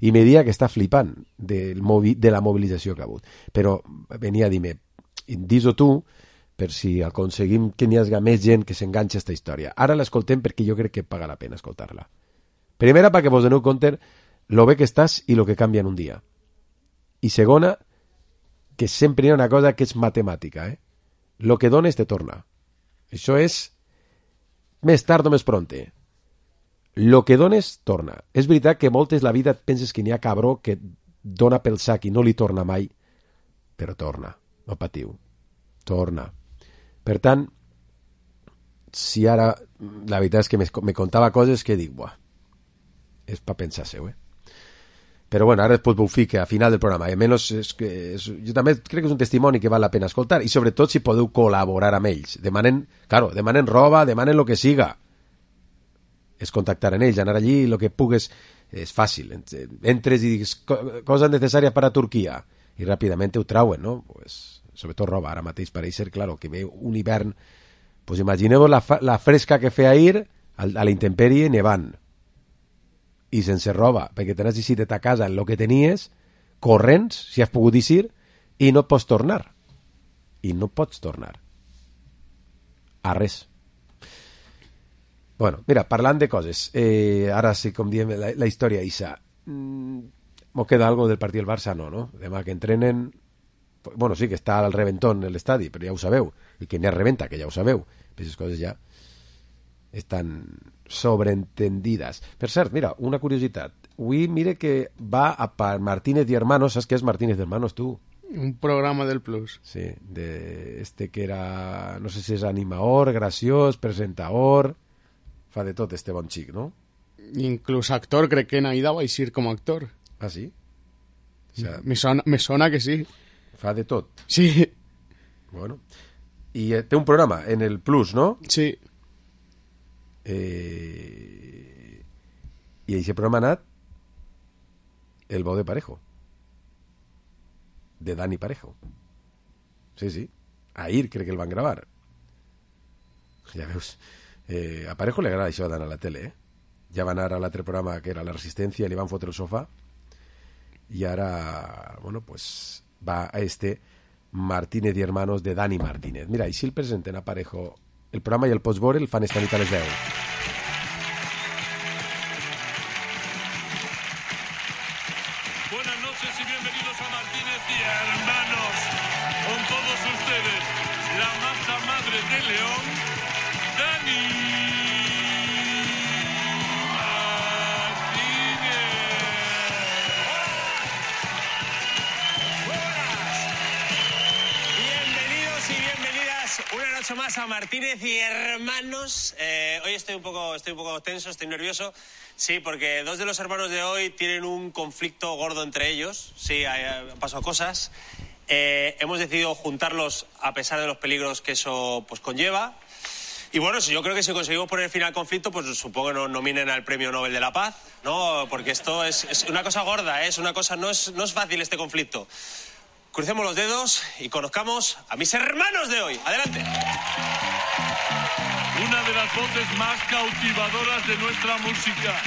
I me dia que està flipant del movi, de la mobilització que ha hagut. Però venia a dir-me, dis-ho tu, per si aconseguim que n'hi hagi més gent que s'enganxa a aquesta història. Ara l'escoltem perquè jo crec que paga la pena escoltar-la. Primera, perquè vos doneu compte lo bé que estàs i lo que canvia en un dia. I segona, que sempre hi ha una cosa que és matemàtica, eh? Lo que dones te torna. Això és més tard o més pronte. Lo que dones, torna. És veritat que moltes la vida et penses que n'hi ha cabró que dona pel sac i no li torna mai, però torna. No patiu. Torna. Per tant, si ara la veritat és que me, me contava coses que dic, buah, és per pensar-se-ho, eh? Però bueno, ara després vos fique a final del programa. I almenys és que és, jo també crec que és un testimoni que val la pena escoltar i sobretot si podeu col·laborar amb ells. Demanen, claro, demanen roba, demanen lo que siga. És contactar en ells, anar allí, el que pugues, és fàcil. Entres i digues coses necessàries per a Turquia i ràpidament ho trauen, no? Pues, sobretot roba, ara mateix pareix ser, claro, que ve un hivern, pues imagineu la, la fresca que feia ahir a la intempèrie nevant i sense roba, perquè t'has eixit de ta casa en el que tenies, corrents, si has pogut eixir, i no pots tornar. I no pots tornar. A res. Bueno, mira, parlant de coses, eh, ara sí, com diem, la, la història Isa. Mm, ¿Mos queda algo del partit del Barça? No, no? Demà que entrenen... Bueno, sí que està al reventón en l'estadi, però ja ho sabeu. I que n'hi ha reventa, que ja ho sabeu. Aquestes coses ja estan sobreentendides. Per cert, mira, una curiositat. Avui, mire que va a Martínez y Hermanos. ¿Sabes qué es Martínez y Hermanos, tú? Un programa del Plus. Sí, de este que era... No sé si és animador, graciós, presentador... Fa de tot este bon xic, no? Inclús actor, crec que Naida va eixir com a actor. Ah, sí? O sea, me, sona, me sona que sí. Fa de tot? Sí. Bueno. I eh, té un programa en el Plus, no? Sí. Eh... I aquest programa ha anat El bo de Parejo. De Dani Parejo. Sí, sí. Ahir crec que el van gravar. Ja veus... Eh, a Parejo li agrada això d'anar a la tele, eh? Ja va anar a l'altre programa que era La Resistencia, li van fotre el sofà i ara, bueno, pues va a este Martínez y Hermanos de Dani Martínez. Mira, i si el presenten a Parejo el programa i el postbore el fan esta nit a les deu. Buenas noches y bienvenidos a Martínez y Hermanos. Con todos ustedes, la masa madre de León, Dani una noche más a Martínez y Hermanos. Eh, hoy estoy un poco, estoy un poco tenso, estoy nervioso. Sí, porque dos de los hermanos de hoy tienen un conflicto gordo entre ellos. Sí, han pasado cosas. Eh, hemos decidido juntarlos a pesar de los peligros que eso pues conlleva. Y bueno, yo creo que si conseguimos poner fin al conflicto, pues supongo que nos nominen al Premio Nobel de la Paz, ¿no? Porque esto es, es una cosa gorda, ¿eh? Es una cosa, no es, no es fácil este conflicto. Crucemos los dedos y conozcamos a mis hermanos de hoy. Adelante. Una de las voces más cautivadoras de nuestra música.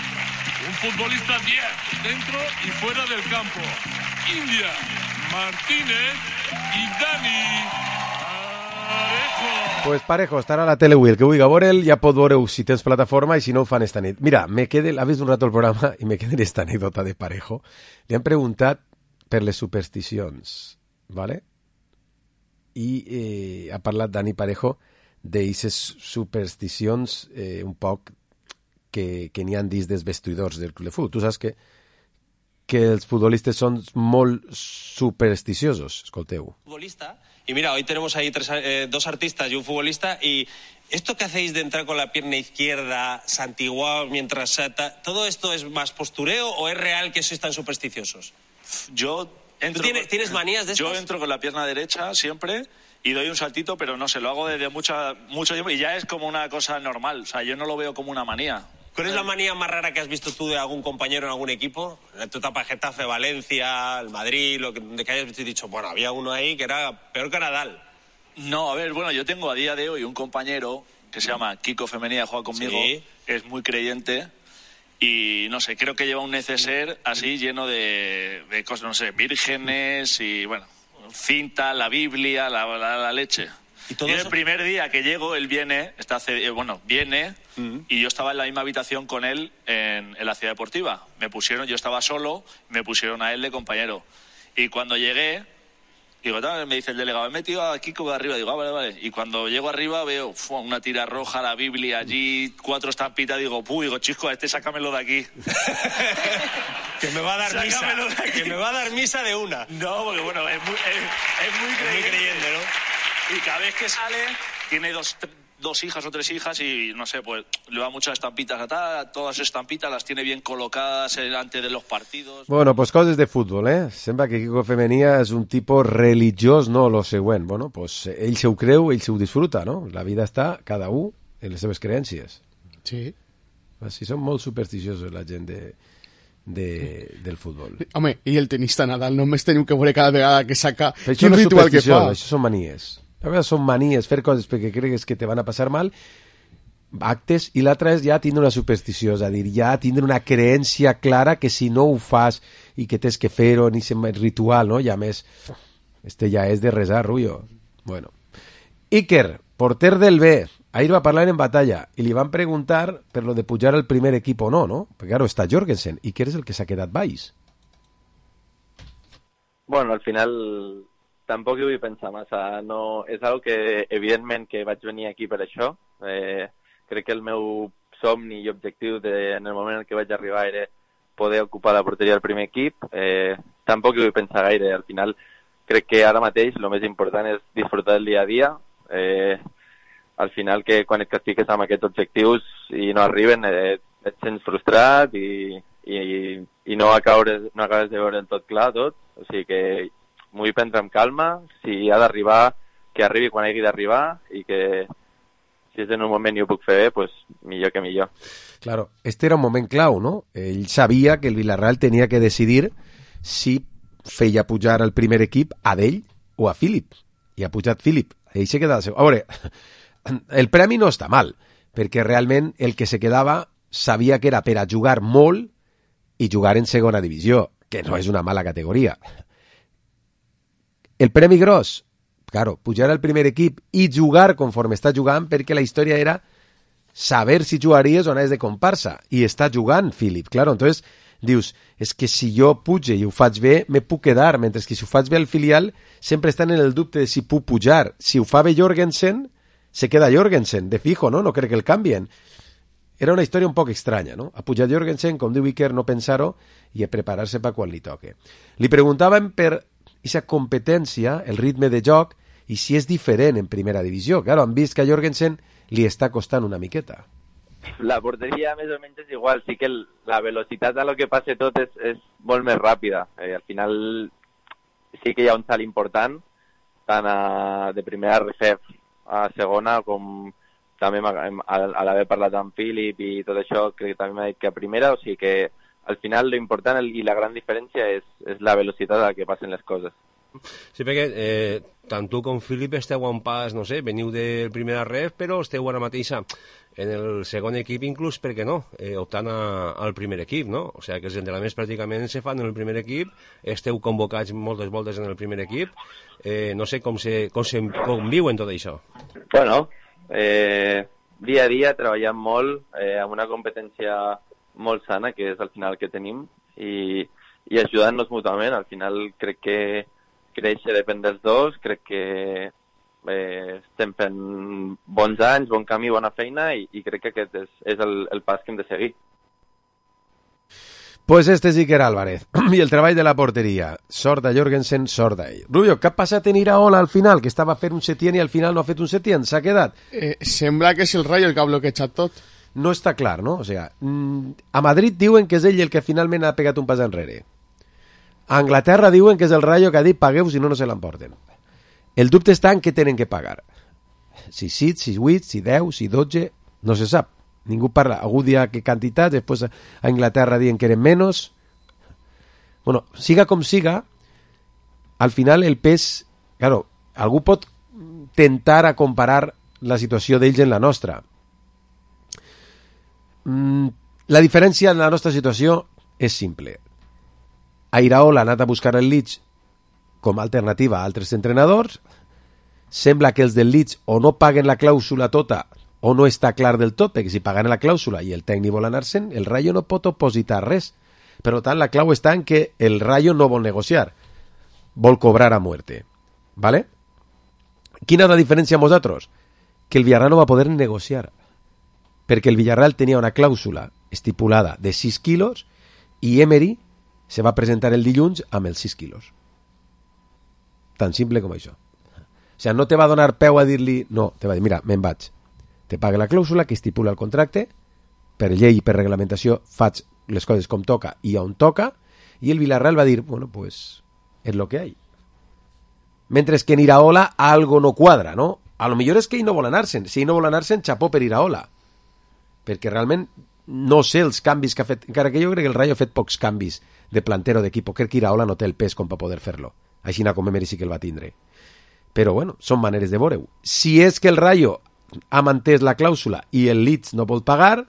Un futbolista diez, dentro y fuera del campo. India, Martínez y Dani Parejo. Pues Parejo estarà a la tele avui. El que vulgui veure'l ja pot veure-ho si tens plataforma i si no ho fan esta nit. Mira, me quedé, ha vist un rato el programa i me quedé en esta anècdota de Parejo. Li han preguntat per les supersticions, ¿vale? I eh, ha parlat Dani Parejo d'aquestes supersticions eh, un poc que, que n'hi han dins dels vestidors del club de futbol. Tu saps que, que els futbolistes són molt supersticiosos, escolteu. Futbolista, y mira, hoy tenemos ahí tres, eh, dos artistas y un futbolista, y esto que hacéis de entrar con la pierna izquierda, santiguados mientras salta, ¿todo esto es más postureo o es real que sois tan supersticiosos? Yo entro, ¿Tú tienes, ¿tienes manías de estas? Yo entro con la pierna derecha siempre y doy un saltito, pero no sé, lo hago desde mucha, mucho tiempo y ya es como una cosa normal. O sea, yo no lo veo como una manía. ¿Cuál es la manía más rara que has visto tú de algún compañero en algún equipo? En tu etapa Getafe, Valencia, el Madrid, lo que, de que hayas visto y dicho, bueno, había uno ahí que era peor que Nadal. No, a ver, bueno, yo tengo a día de hoy un compañero que se llama Kiko Femenía, juega conmigo, sí. Es muy creyente. Y no sé, creo que lleva un neceser así lleno de, de cosas, no sé, vírgenes y bueno, cinta, la Biblia, la, la, la leche. ¿Y todo y eso? El primer día que llego, él viene, está, bueno, viene, mm. y yo estaba en la misma habitación con él en, en la ciudad deportiva. Me pusieron, yo estaba solo, me pusieron a él de compañero. Y cuando llegué, digo, me dice el delegado, he metido a Kiko de arriba, digo, ah, vale, vale. Y cuando llego arriba veo fu, una tira roja, la Biblia allí, cuatro estampitas, digo, puh, digo, chico, a este sácamelo de aquí. Que me va a dar Sácamelo misa. De aquí. Que me va a dar misa de una. No, porque bueno, es muy, es, es muy creyente. Es muy creyente, ¿no? Y cada vez que sale, tiene dos, dos hijas o tres hijas y, no sé, pues le va muchas estampitas a tal, todas las estampitas las tiene bien colocadas delante de los partidos. Bueno, pues coses de futbol, eh? Sembla que Kiko Femenia és un tipus religiós, no lo següent. Bueno, pues ell se ho creu, ell se ho disfruta, no? La vida està cada un en les seves creences. Sí. Així són molt supersticiosos la gent de, de, del futbol. Home, i el tenista Nadal, només teniu que veure cada vegada que saca quin no ritual que fa. Això són manies. A vegades són manies, fer coses perquè cregues que te van a passar mal, actes, i l'altra és ja tindre una superstició, és a dir, ja tindre una creència clara que si no ho fas i que tens que fer-ho, ni sem ritual, no? I a més, este ja és de resar, Rullo. Bueno. Iker, porter del B, ahir va parlar en batalla i li van preguntar per lo de pujar al primer equip o no, no? Perquè, claro, està Jorgensen, Iker és el que s'ha quedat baix. Bueno, al final tampoc hi vull pensar massa. No, és algo que, evidentment, que vaig venir aquí per això. Eh, crec que el meu somni i objectiu de, en el moment en què vaig arribar era poder ocupar la porteria del primer equip. Eh, tampoc hi vull pensar gaire. Al final, crec que ara mateix el més important és disfrutar del dia a dia. Eh, al final, que quan et castigues amb aquests objectius i no arriben, eh, et sents frustrat i, i, i no, acabes, no acabes de veure el tot clar, tot. O sigui que m'ho vull prendre amb calma, si ha d'arribar, que arribi quan hagi d'arribar i que si és en un moment i ho puc fer bé, pues millor que millor. Claro, este era un moment clau, no? Ell sabia que el Villarreal tenia que decidir si feia pujar al primer equip a d'ell o a Philip. I ha pujat Philip. Ell se quedava... A veure, el premi no està mal, perquè realment el que se quedava sabia que era per a jugar molt i jugar en segona divisió, que no és una mala categoria. El premi gros, claro, pujar al primer equip i jugar conforme està jugant, perquè la història era saber si jugaries o anaves de comparsa, i està jugant Philip, claro, entonces dius, és que si jo puge i ho faig bé, me puc quedar, mentre que si ho faig bé al filial, sempre estan en el dubte de si puc pujar. Si ho fa bé Jorgensen, se queda Jorgensen, de fijo, no? No crec que el canvien. Era una història un poc estranya, no? A pujar Jorgensen, com diu Iker, no pensar-ho i a preparar-se per quan li toque. Li preguntàvem per aquesta competència, el ritme de joc, i si és diferent en primera divisió. Claro, han vist que a Jorgensen li està costant una miqueta. La porteria més o menys és igual, sí que el, la velocitat a lo que passe tot és, és molt més ràpida. Eh, al final sí que hi ha un salt important, tant a, de primera refef a segona, com també a l'haver parlat amb Philip i tot això, crec que també m'ha dit que a primera, o sigui que al final lo important i la gran diferència és, és la velocitat a la que passen les coses. Sí, perquè eh, tant tu com Philip esteu en pas, no sé, veniu del primera ref, però esteu ara mateixa en el segon equip, inclús, per què no, eh, optant a, al primer equip, no? O sigui, que els entrenaments pràcticament se fan en el primer equip, esteu convocats moltes voltes en el primer equip, eh, no sé com se, com se conviuen tot això. Bueno, eh, dia a dia treballant molt, eh, amb una competència molt sana, que és al final que tenim, i, i ajudant-nos mútuament. Al final crec que créixer depèn dels dos, crec que eh, estem fent bons anys, bon camí, bona feina, i, i crec que aquest és, és el, el pas que hem de seguir. Pues este és Iker Álvarez, i el treball de la porteria. Sort de Jorgensen, sort d'ell. Rubio, què ha passat en Iraola al final? Que estava fent un Setién i al final no ha fet un Setién, s'ha quedat? Eh, sembla que és el Rayo el que ha bloquejat tot. No està clar, no? O sigui, a Madrid diuen que és ell el que finalment ha pegat un pas enrere. A Anglaterra diuen que és el Rayo que ha dit pagueu si no, no se l'emporten. El dubte està en què tenen que pagar. Si sis, si vuit, si deu, si dotze, no se sap. Ningú parla. Algú dia que quantitats, després a Anglaterra diuen que eren menys. Bueno, siga com siga, al final el pes... Claro, algú pot tentar a comparar la situació d'ells en la nostra. Mm, la diferència en la nostra situació és simple. A Iraola ha anat a buscar el Leeds com a alternativa a altres entrenadors. Sembla que els del Leeds o no paguen la clàusula tota o no està clar del tot, perquè si paguen la clàusula i el tècnic vol anar-se'n, el Rayo no pot opositar res. Per tant, la clau està en que el Rayo no vol negociar, vol cobrar a muerte. ¿Vale? Quina és la diferència amb vosaltres? Que el Villarreal no va poder negociar, perquè el Villarreal tenia una clàusula estipulada de sis quilos i Emery se va presentar el dilluns amb els sis quilos. Tan simple com això. O sigui, no te va donar peu a dir-li, no, te va dir, mira, me'n vaig. Te paga la clàusula que estipula el contracte, per llei i per reglamentació faig les coses com toca i on toca, i el Villarreal va dir, bueno, pues és lo que hay. Mentre que en Iraola algo no quadra, no? A lo millor és que ell no vol anar-se'n. Si ell no vol anar-se'n, xapó per Iraola. Perquè realment no sé els canvis que ha fet, encara que jo crec que el Rayo ha fet pocs canvis de plantero d'equip, crec que Iraola no té el pes com per poder fer-lo. Així com Emery sí que el va tindre. Però bueno, són maneres de veure-ho. Si és que el Rayo ha mantès la clàusula i el Leeds no vol pagar,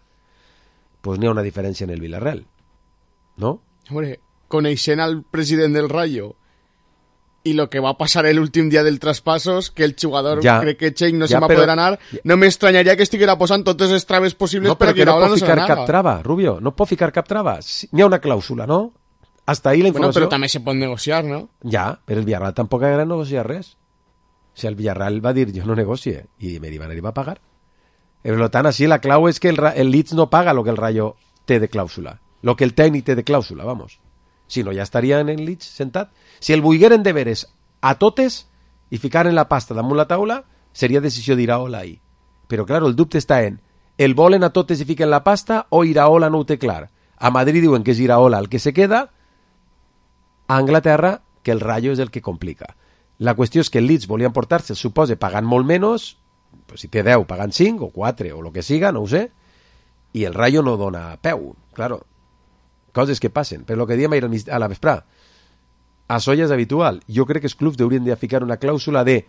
pues n'hi ha una diferència en el Villarreal. ¿No? Hombre, coneixent al president del Rayo y lo que va a pasar el últim dia del traspasos, que el jugador ja, cree que Cheik no ja, se va a poder anar, no m'estranyaria que estiguera posant totes les traves possibles no, per a que Iraola no se n'anaga. No pot ficar cap trava, Rubio, no pot ficar cap trava. N'hi ha una clàusula, no? Hasta ahí la informació... Bueno, però també se pot negociar, no? Ja, però el Villarreal tampoc ha de negociar res. O sigui, el Villarreal va dir, jo no negocie, i Emery va anar i va pagar. Per tant, així la clau és que el, el Leeds no paga lo que el Rayo té de clàusula, lo que el tècnic té de clàusula, vamos. Si no, ja estaria en el Leeds sentat. Si el volgueren de veres a totes i ficaren la pasta damunt la taula, seria decisió d'Iraola ahí. Però, claro, el dubte està en el volen a totes i fiquen la pasta o Iraola no ho té clar. A Madrid diuen que és Iraola el que se queda, a Anglaterra que el Rayo és el que complica. La qüestió és que el Leeds volia emportar-se, el supose, pagant molt menys, pues si té deu, pagant cinc o quatre o el que siga, no ho sé, i el Rayo no dona peu. Claro, coses que passen. Però el que diem a la vesprà, això ja és habitual. Jo crec que els clubs haurien de ficar una clàusula de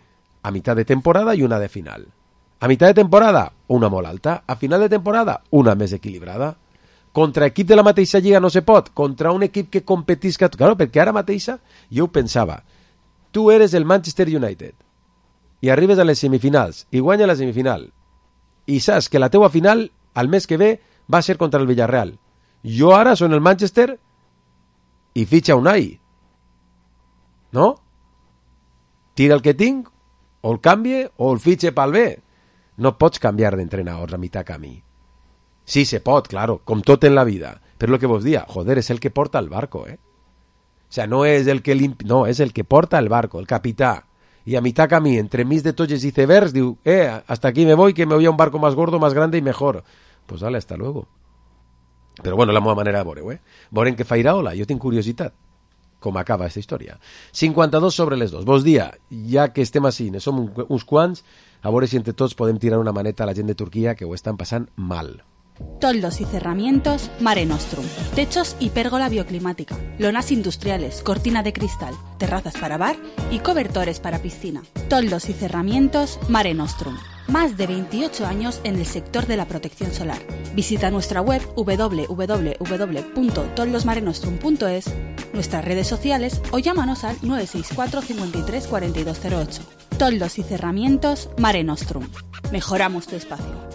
a mitad de temporada i una de final. A mitad de temporada, una molt alta. A final de temporada, una més equilibrada. Contra equip de la mateixa lliga no se pot. Contra un equip que competisca... Claro, perquè ara mateixa jo ho pensava. Tu eres el Manchester United i arribes a les semifinals i guanya la semifinal i saps que la teua final al mes que ve va ser contra el Villarreal. Jo ara soc el Manchester i fitxa Unai. No? Tira el que tinc, o el canvie, o el fitxe pel bé. No pots canviar d'entrenadors a mitjà camí. Sí, se pot, claro, com tot en la vida. Però el que vos dia, joder, és el que porta el barco, eh? O sea, no és el que limp... no, és el que porta el barco, el capità. Y a mitad camí, entre mis de toches y icebergs, digo, eh, hasta aquí me voy, que me voy a un barco más gordo, más grande y mejor. Pues dale, hasta luego. Però bueno, la meva manera de veure-ho, eh? Veurem què fa Iraola, jo tinc curiositat com acaba aquesta història. cinquanta-dos sobre les dos. Vos dia, ja que estem així, ne som uns quants, a veure si entre tots podem tirar una maneta a la gent de Turquia que ho estan passant mal. Toldos y cerramientos Mare Nostrum. Techos y pérgola bioclimática. Lonas industriales, cortina de cristal, terrazas para bar y cobertores para piscina. Toldos y cerramientos Mare Nostrum. Más de veintiocho años en el sector de la protección solar. Visita nuestra web w w w punto toldosmarenostrum punto es, nuestras redes sociales o llámanos al nueve seis cuatro, cincuenta y tres, cuarenta y dos cero ocho. Toldos y cerramientos Mare Nostrum. Mejoramos tu espacio.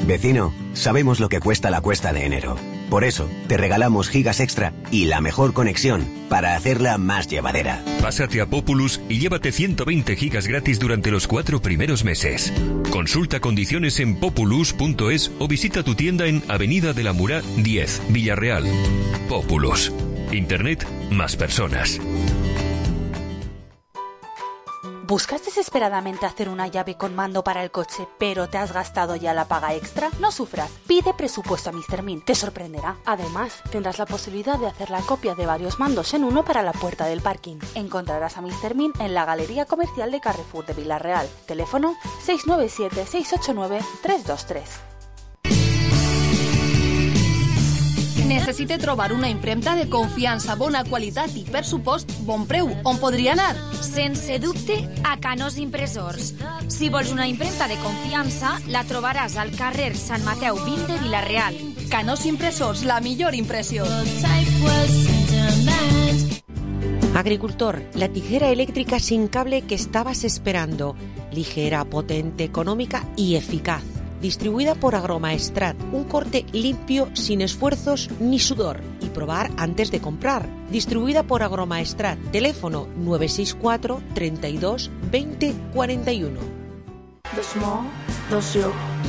Vecino, sabemos lo que cuesta la cuesta de enero. Por eso, te regalamos gigas extra y la mejor conexión para hacerla más llevadera. Pásate a Populus y llévate ciento veinte gigas gratis durante los cuatro primeros meses. Consulta condiciones en populus punto es o visita tu tienda en Avenida de la Murá diez, Villarreal. Populus. Internet más personas. ¿Buscas desesperadamente hacer una llave con mando para el coche, pero te has gastado ya la paga extra? No sufras, pide presupuesto a míster Min, te sorprenderá. Además, tendrás la posibilidad de hacer la copia de varios mandos en uno para la puerta del parking. Encontrarás a míster Min en la Galería Comercial de Carrefour de Villarreal. Teléfono seis nueve siete, seis ocho nueve, tres dos tres. Necessite trobar una impremta de confiança, bona qualitat i, per supost, bon preu. On podria anar? Sense dubte, a Canós Impressors. Si vols una impremta de confiança, la trobaràs al carrer Sant Mateu vint de Vilareal. Canós Impressors, la millor impressió. Agricultor, la tijera eléctrica sin cable que estabas esperando. Ligera, potente, económica y eficaz. Distribuida por Agromaestrat, un corte limpio, sin esfuerzos ni sudor. Y probar antes de comprar. Distribuida por Agromaestrat, teléfono nueve seis cuatro, treinta y dos, veinte, cuarenta y uno.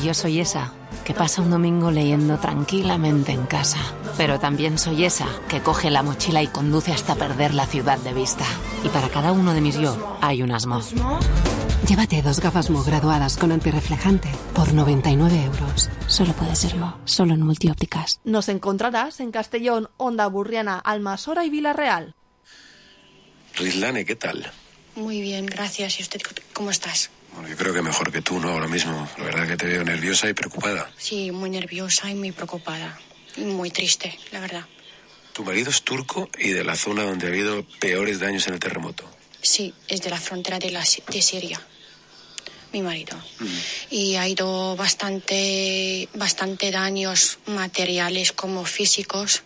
Yo soy esa que pasa un domingo leyendo tranquilamente en casa. Pero también soy esa que coge la mochila y conduce hasta perder la ciudad de vista. Y para cada uno de mis yo hay un Asmo. Llévate dos gafas Mo graduadas con antirreflejante por noventa y nueve euros. Solo puede ser Mo, solo en Multiópticas. Nos encontrarás en Castellón, Onda Burriana, Almasora y Villarreal. Rislane, ¿qué tal? Muy bien, gracias. ¿Y usted cómo estás? Bueno, yo creo que mejor que tú, ¿no? Ahora mismo. La verdad que te veo nerviosa y preocupada. Sí, muy nerviosa y muy preocupada. Y muy triste, la verdad. Tu marido es turco y de la zona donde ha habido peores daños en el terremoto. Sí, es de la frontera de, la, de Siria, mi marido. Mm. Y ha ido bastante, bastante daños materiales como físicos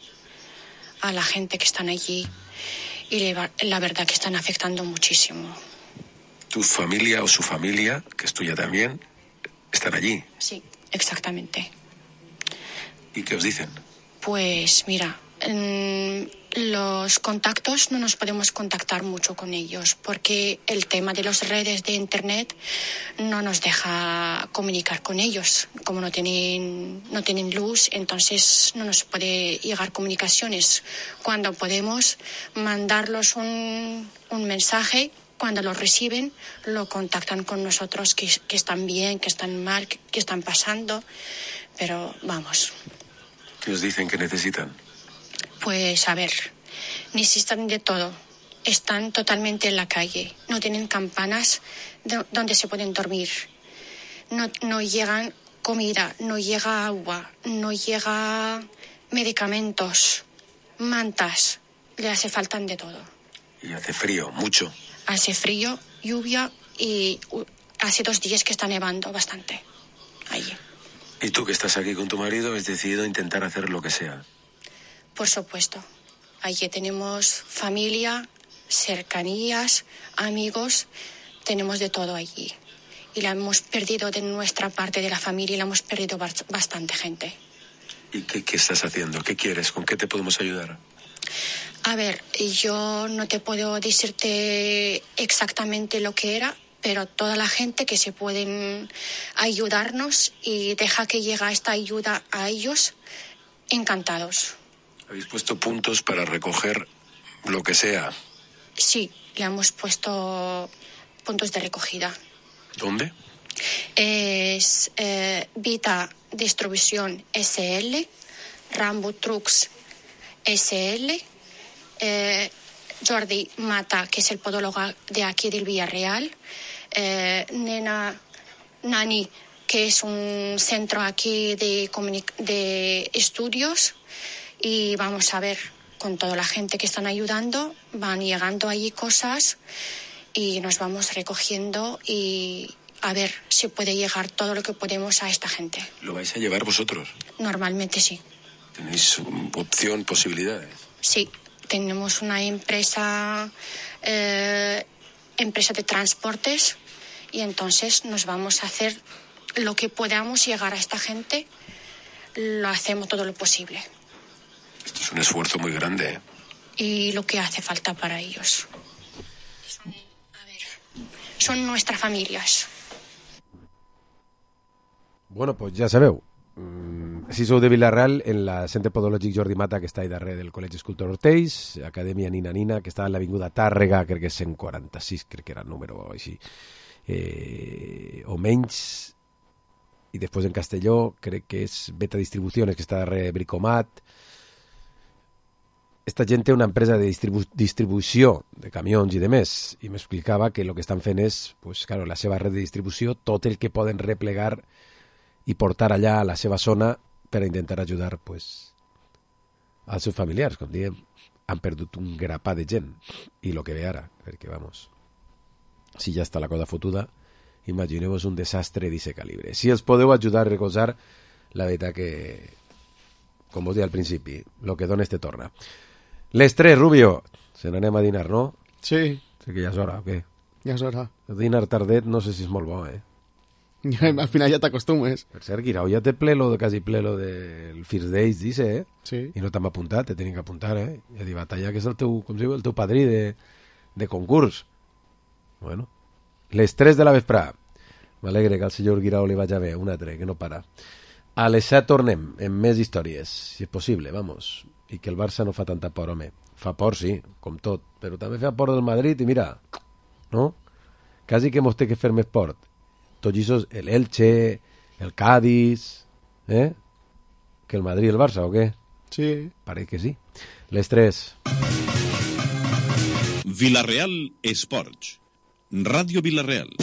a la gente que están allí. Y la verdad que están afectando muchísimo. ¿Tu familia o su familia, que es tuya también, están allí? Sí, exactamente. ¿Y qué os dicen? Pues mira, mmm, los contactos no nos podemos contactar mucho con ellos porque el tema de las redes de internet no nos deja comunicar con ellos. Como no tienen, no tienen luz, entonces no nos puede llegar comunicaciones. Cuando podemos mandarlos un, un mensaje, cuando lo reciben, lo contactan con nosotros, que, que están bien, que están mal, que, que están pasando. Pero vamos. ¿Qué os dicen que necesitan? Pues a ver, necesitan de todo. Están totalmente en la calle. No tienen campanas de, donde se pueden dormir. No, no llegan comida, no llega agua, no llega medicamentos, mantas. Le hace falta de todo. Y hace frío, mucho. Hace frío, lluvia y uh, hace dos días que está nevando bastante. Allí. Y tú que estás aquí con tu marido has decidido intentar hacer lo que sea. Por supuesto. Allí tenemos familia, cercanías, amigos, tenemos de todo allí. Y la hemos perdido de nuestra parte de la familia y la hemos perdido bastante gente. ¿Y qué, qué estás haciendo? ¿Qué quieres? ¿Con qué te podemos ayudar? A ver, yo no te puedo decirte exactamente lo que era, pero toda la gente que se pueden ayudarnos y deja que llegue esta ayuda a ellos, encantados. ¿Habéis puesto puntos para recoger lo que sea? Sí, le hemos puesto puntos de recogida. ¿Dónde? Es eh, Vita Distribución S L, Rambo Trucks S L, eh, Jordi Mata, que es el podólogo de aquí del Villarreal, eh, Nena Nani, que es un centro aquí de, comunic- de estudios, y vamos a ver, con toda la gente que están ayudando, van llegando allí cosas y nos vamos recogiendo y a ver si puede llegar todo lo que podemos a esta gente. ¿Lo vais a llevar vosotros? Normalmente sí. ¿Tenéis opción, posibilidades? Sí, tenemos una empresa, eh, empresa de transportes, y entonces nos vamos a hacer lo que podamos llegar a esta gente, lo hacemos todo lo posible. Esto es un esfuerzo muy grande, ¿eh? Y lo que hace falta para ellos. Son, a ver, son nuestras familias. Bueno, pues ja sabeu, mm, si sou de Vilareal, en la Centre Podològic Jordi Mata, que està ahí darrere del Col·legi Escultor Ortells, Acadèmia Nina Nina, que està en l'Avinguda Tàrrega, crec que és cent quaranta-sis, crec que era el número així, eh, o menys, i després en Castelló, crec que és Beta Distribuciones, que està darrere de Bricomat. Esta gent té una empresa de distribu- distribució de camions i de més, i m'explicava que el que estan fent és, pues, claro, la seva red de distribució, tot el que poden replegar i portar allà a la seva zona per a intentar ajudar, pues, als seus familiars. Com diem, han perdut un grapà de gent, i el que ve ara, perquè, vamos, si ja està la cosa fotuda, imagineu-vos un desastre d'aquest calibre. Si els podeu ajudar a recolzar, la veritat que, com vos deia al principi, el que dones te torna. Les tres, Rubio, se n'anem a dinar, no? Sí. Sé que ja és hora, o què? Ja és hora. El dinar tardet no sé si és molt bo, eh? Al final ja t'acostumes. Per cert, Guirao ja té ple lo, quasi ple lo del First Days, dice, eh? Sí. I no t'hem apuntat, te tenen que apuntar, eh? Ja dic, Batalla, que és el teu, com si diu, el teu padrí de, de concurs. Bueno. Les tres de la vesprà. M'alegre que al senyor Guirao li vaja bé, un altre, que no para. A les set tornem, amb més històries, si és possible, vamos. I que el Barça no fa tanta por, home. Fa por, sí, com tot, però també fa por del Madrid, i mira, no? Quasi que mos té que fer més port. Tots aquests, el Elche, el Cádiz, eh? Que el Madrid i el Barça, o què? Sí. Parece que sí. Les tres. Vilareal Esports. Ràdio Vilareal.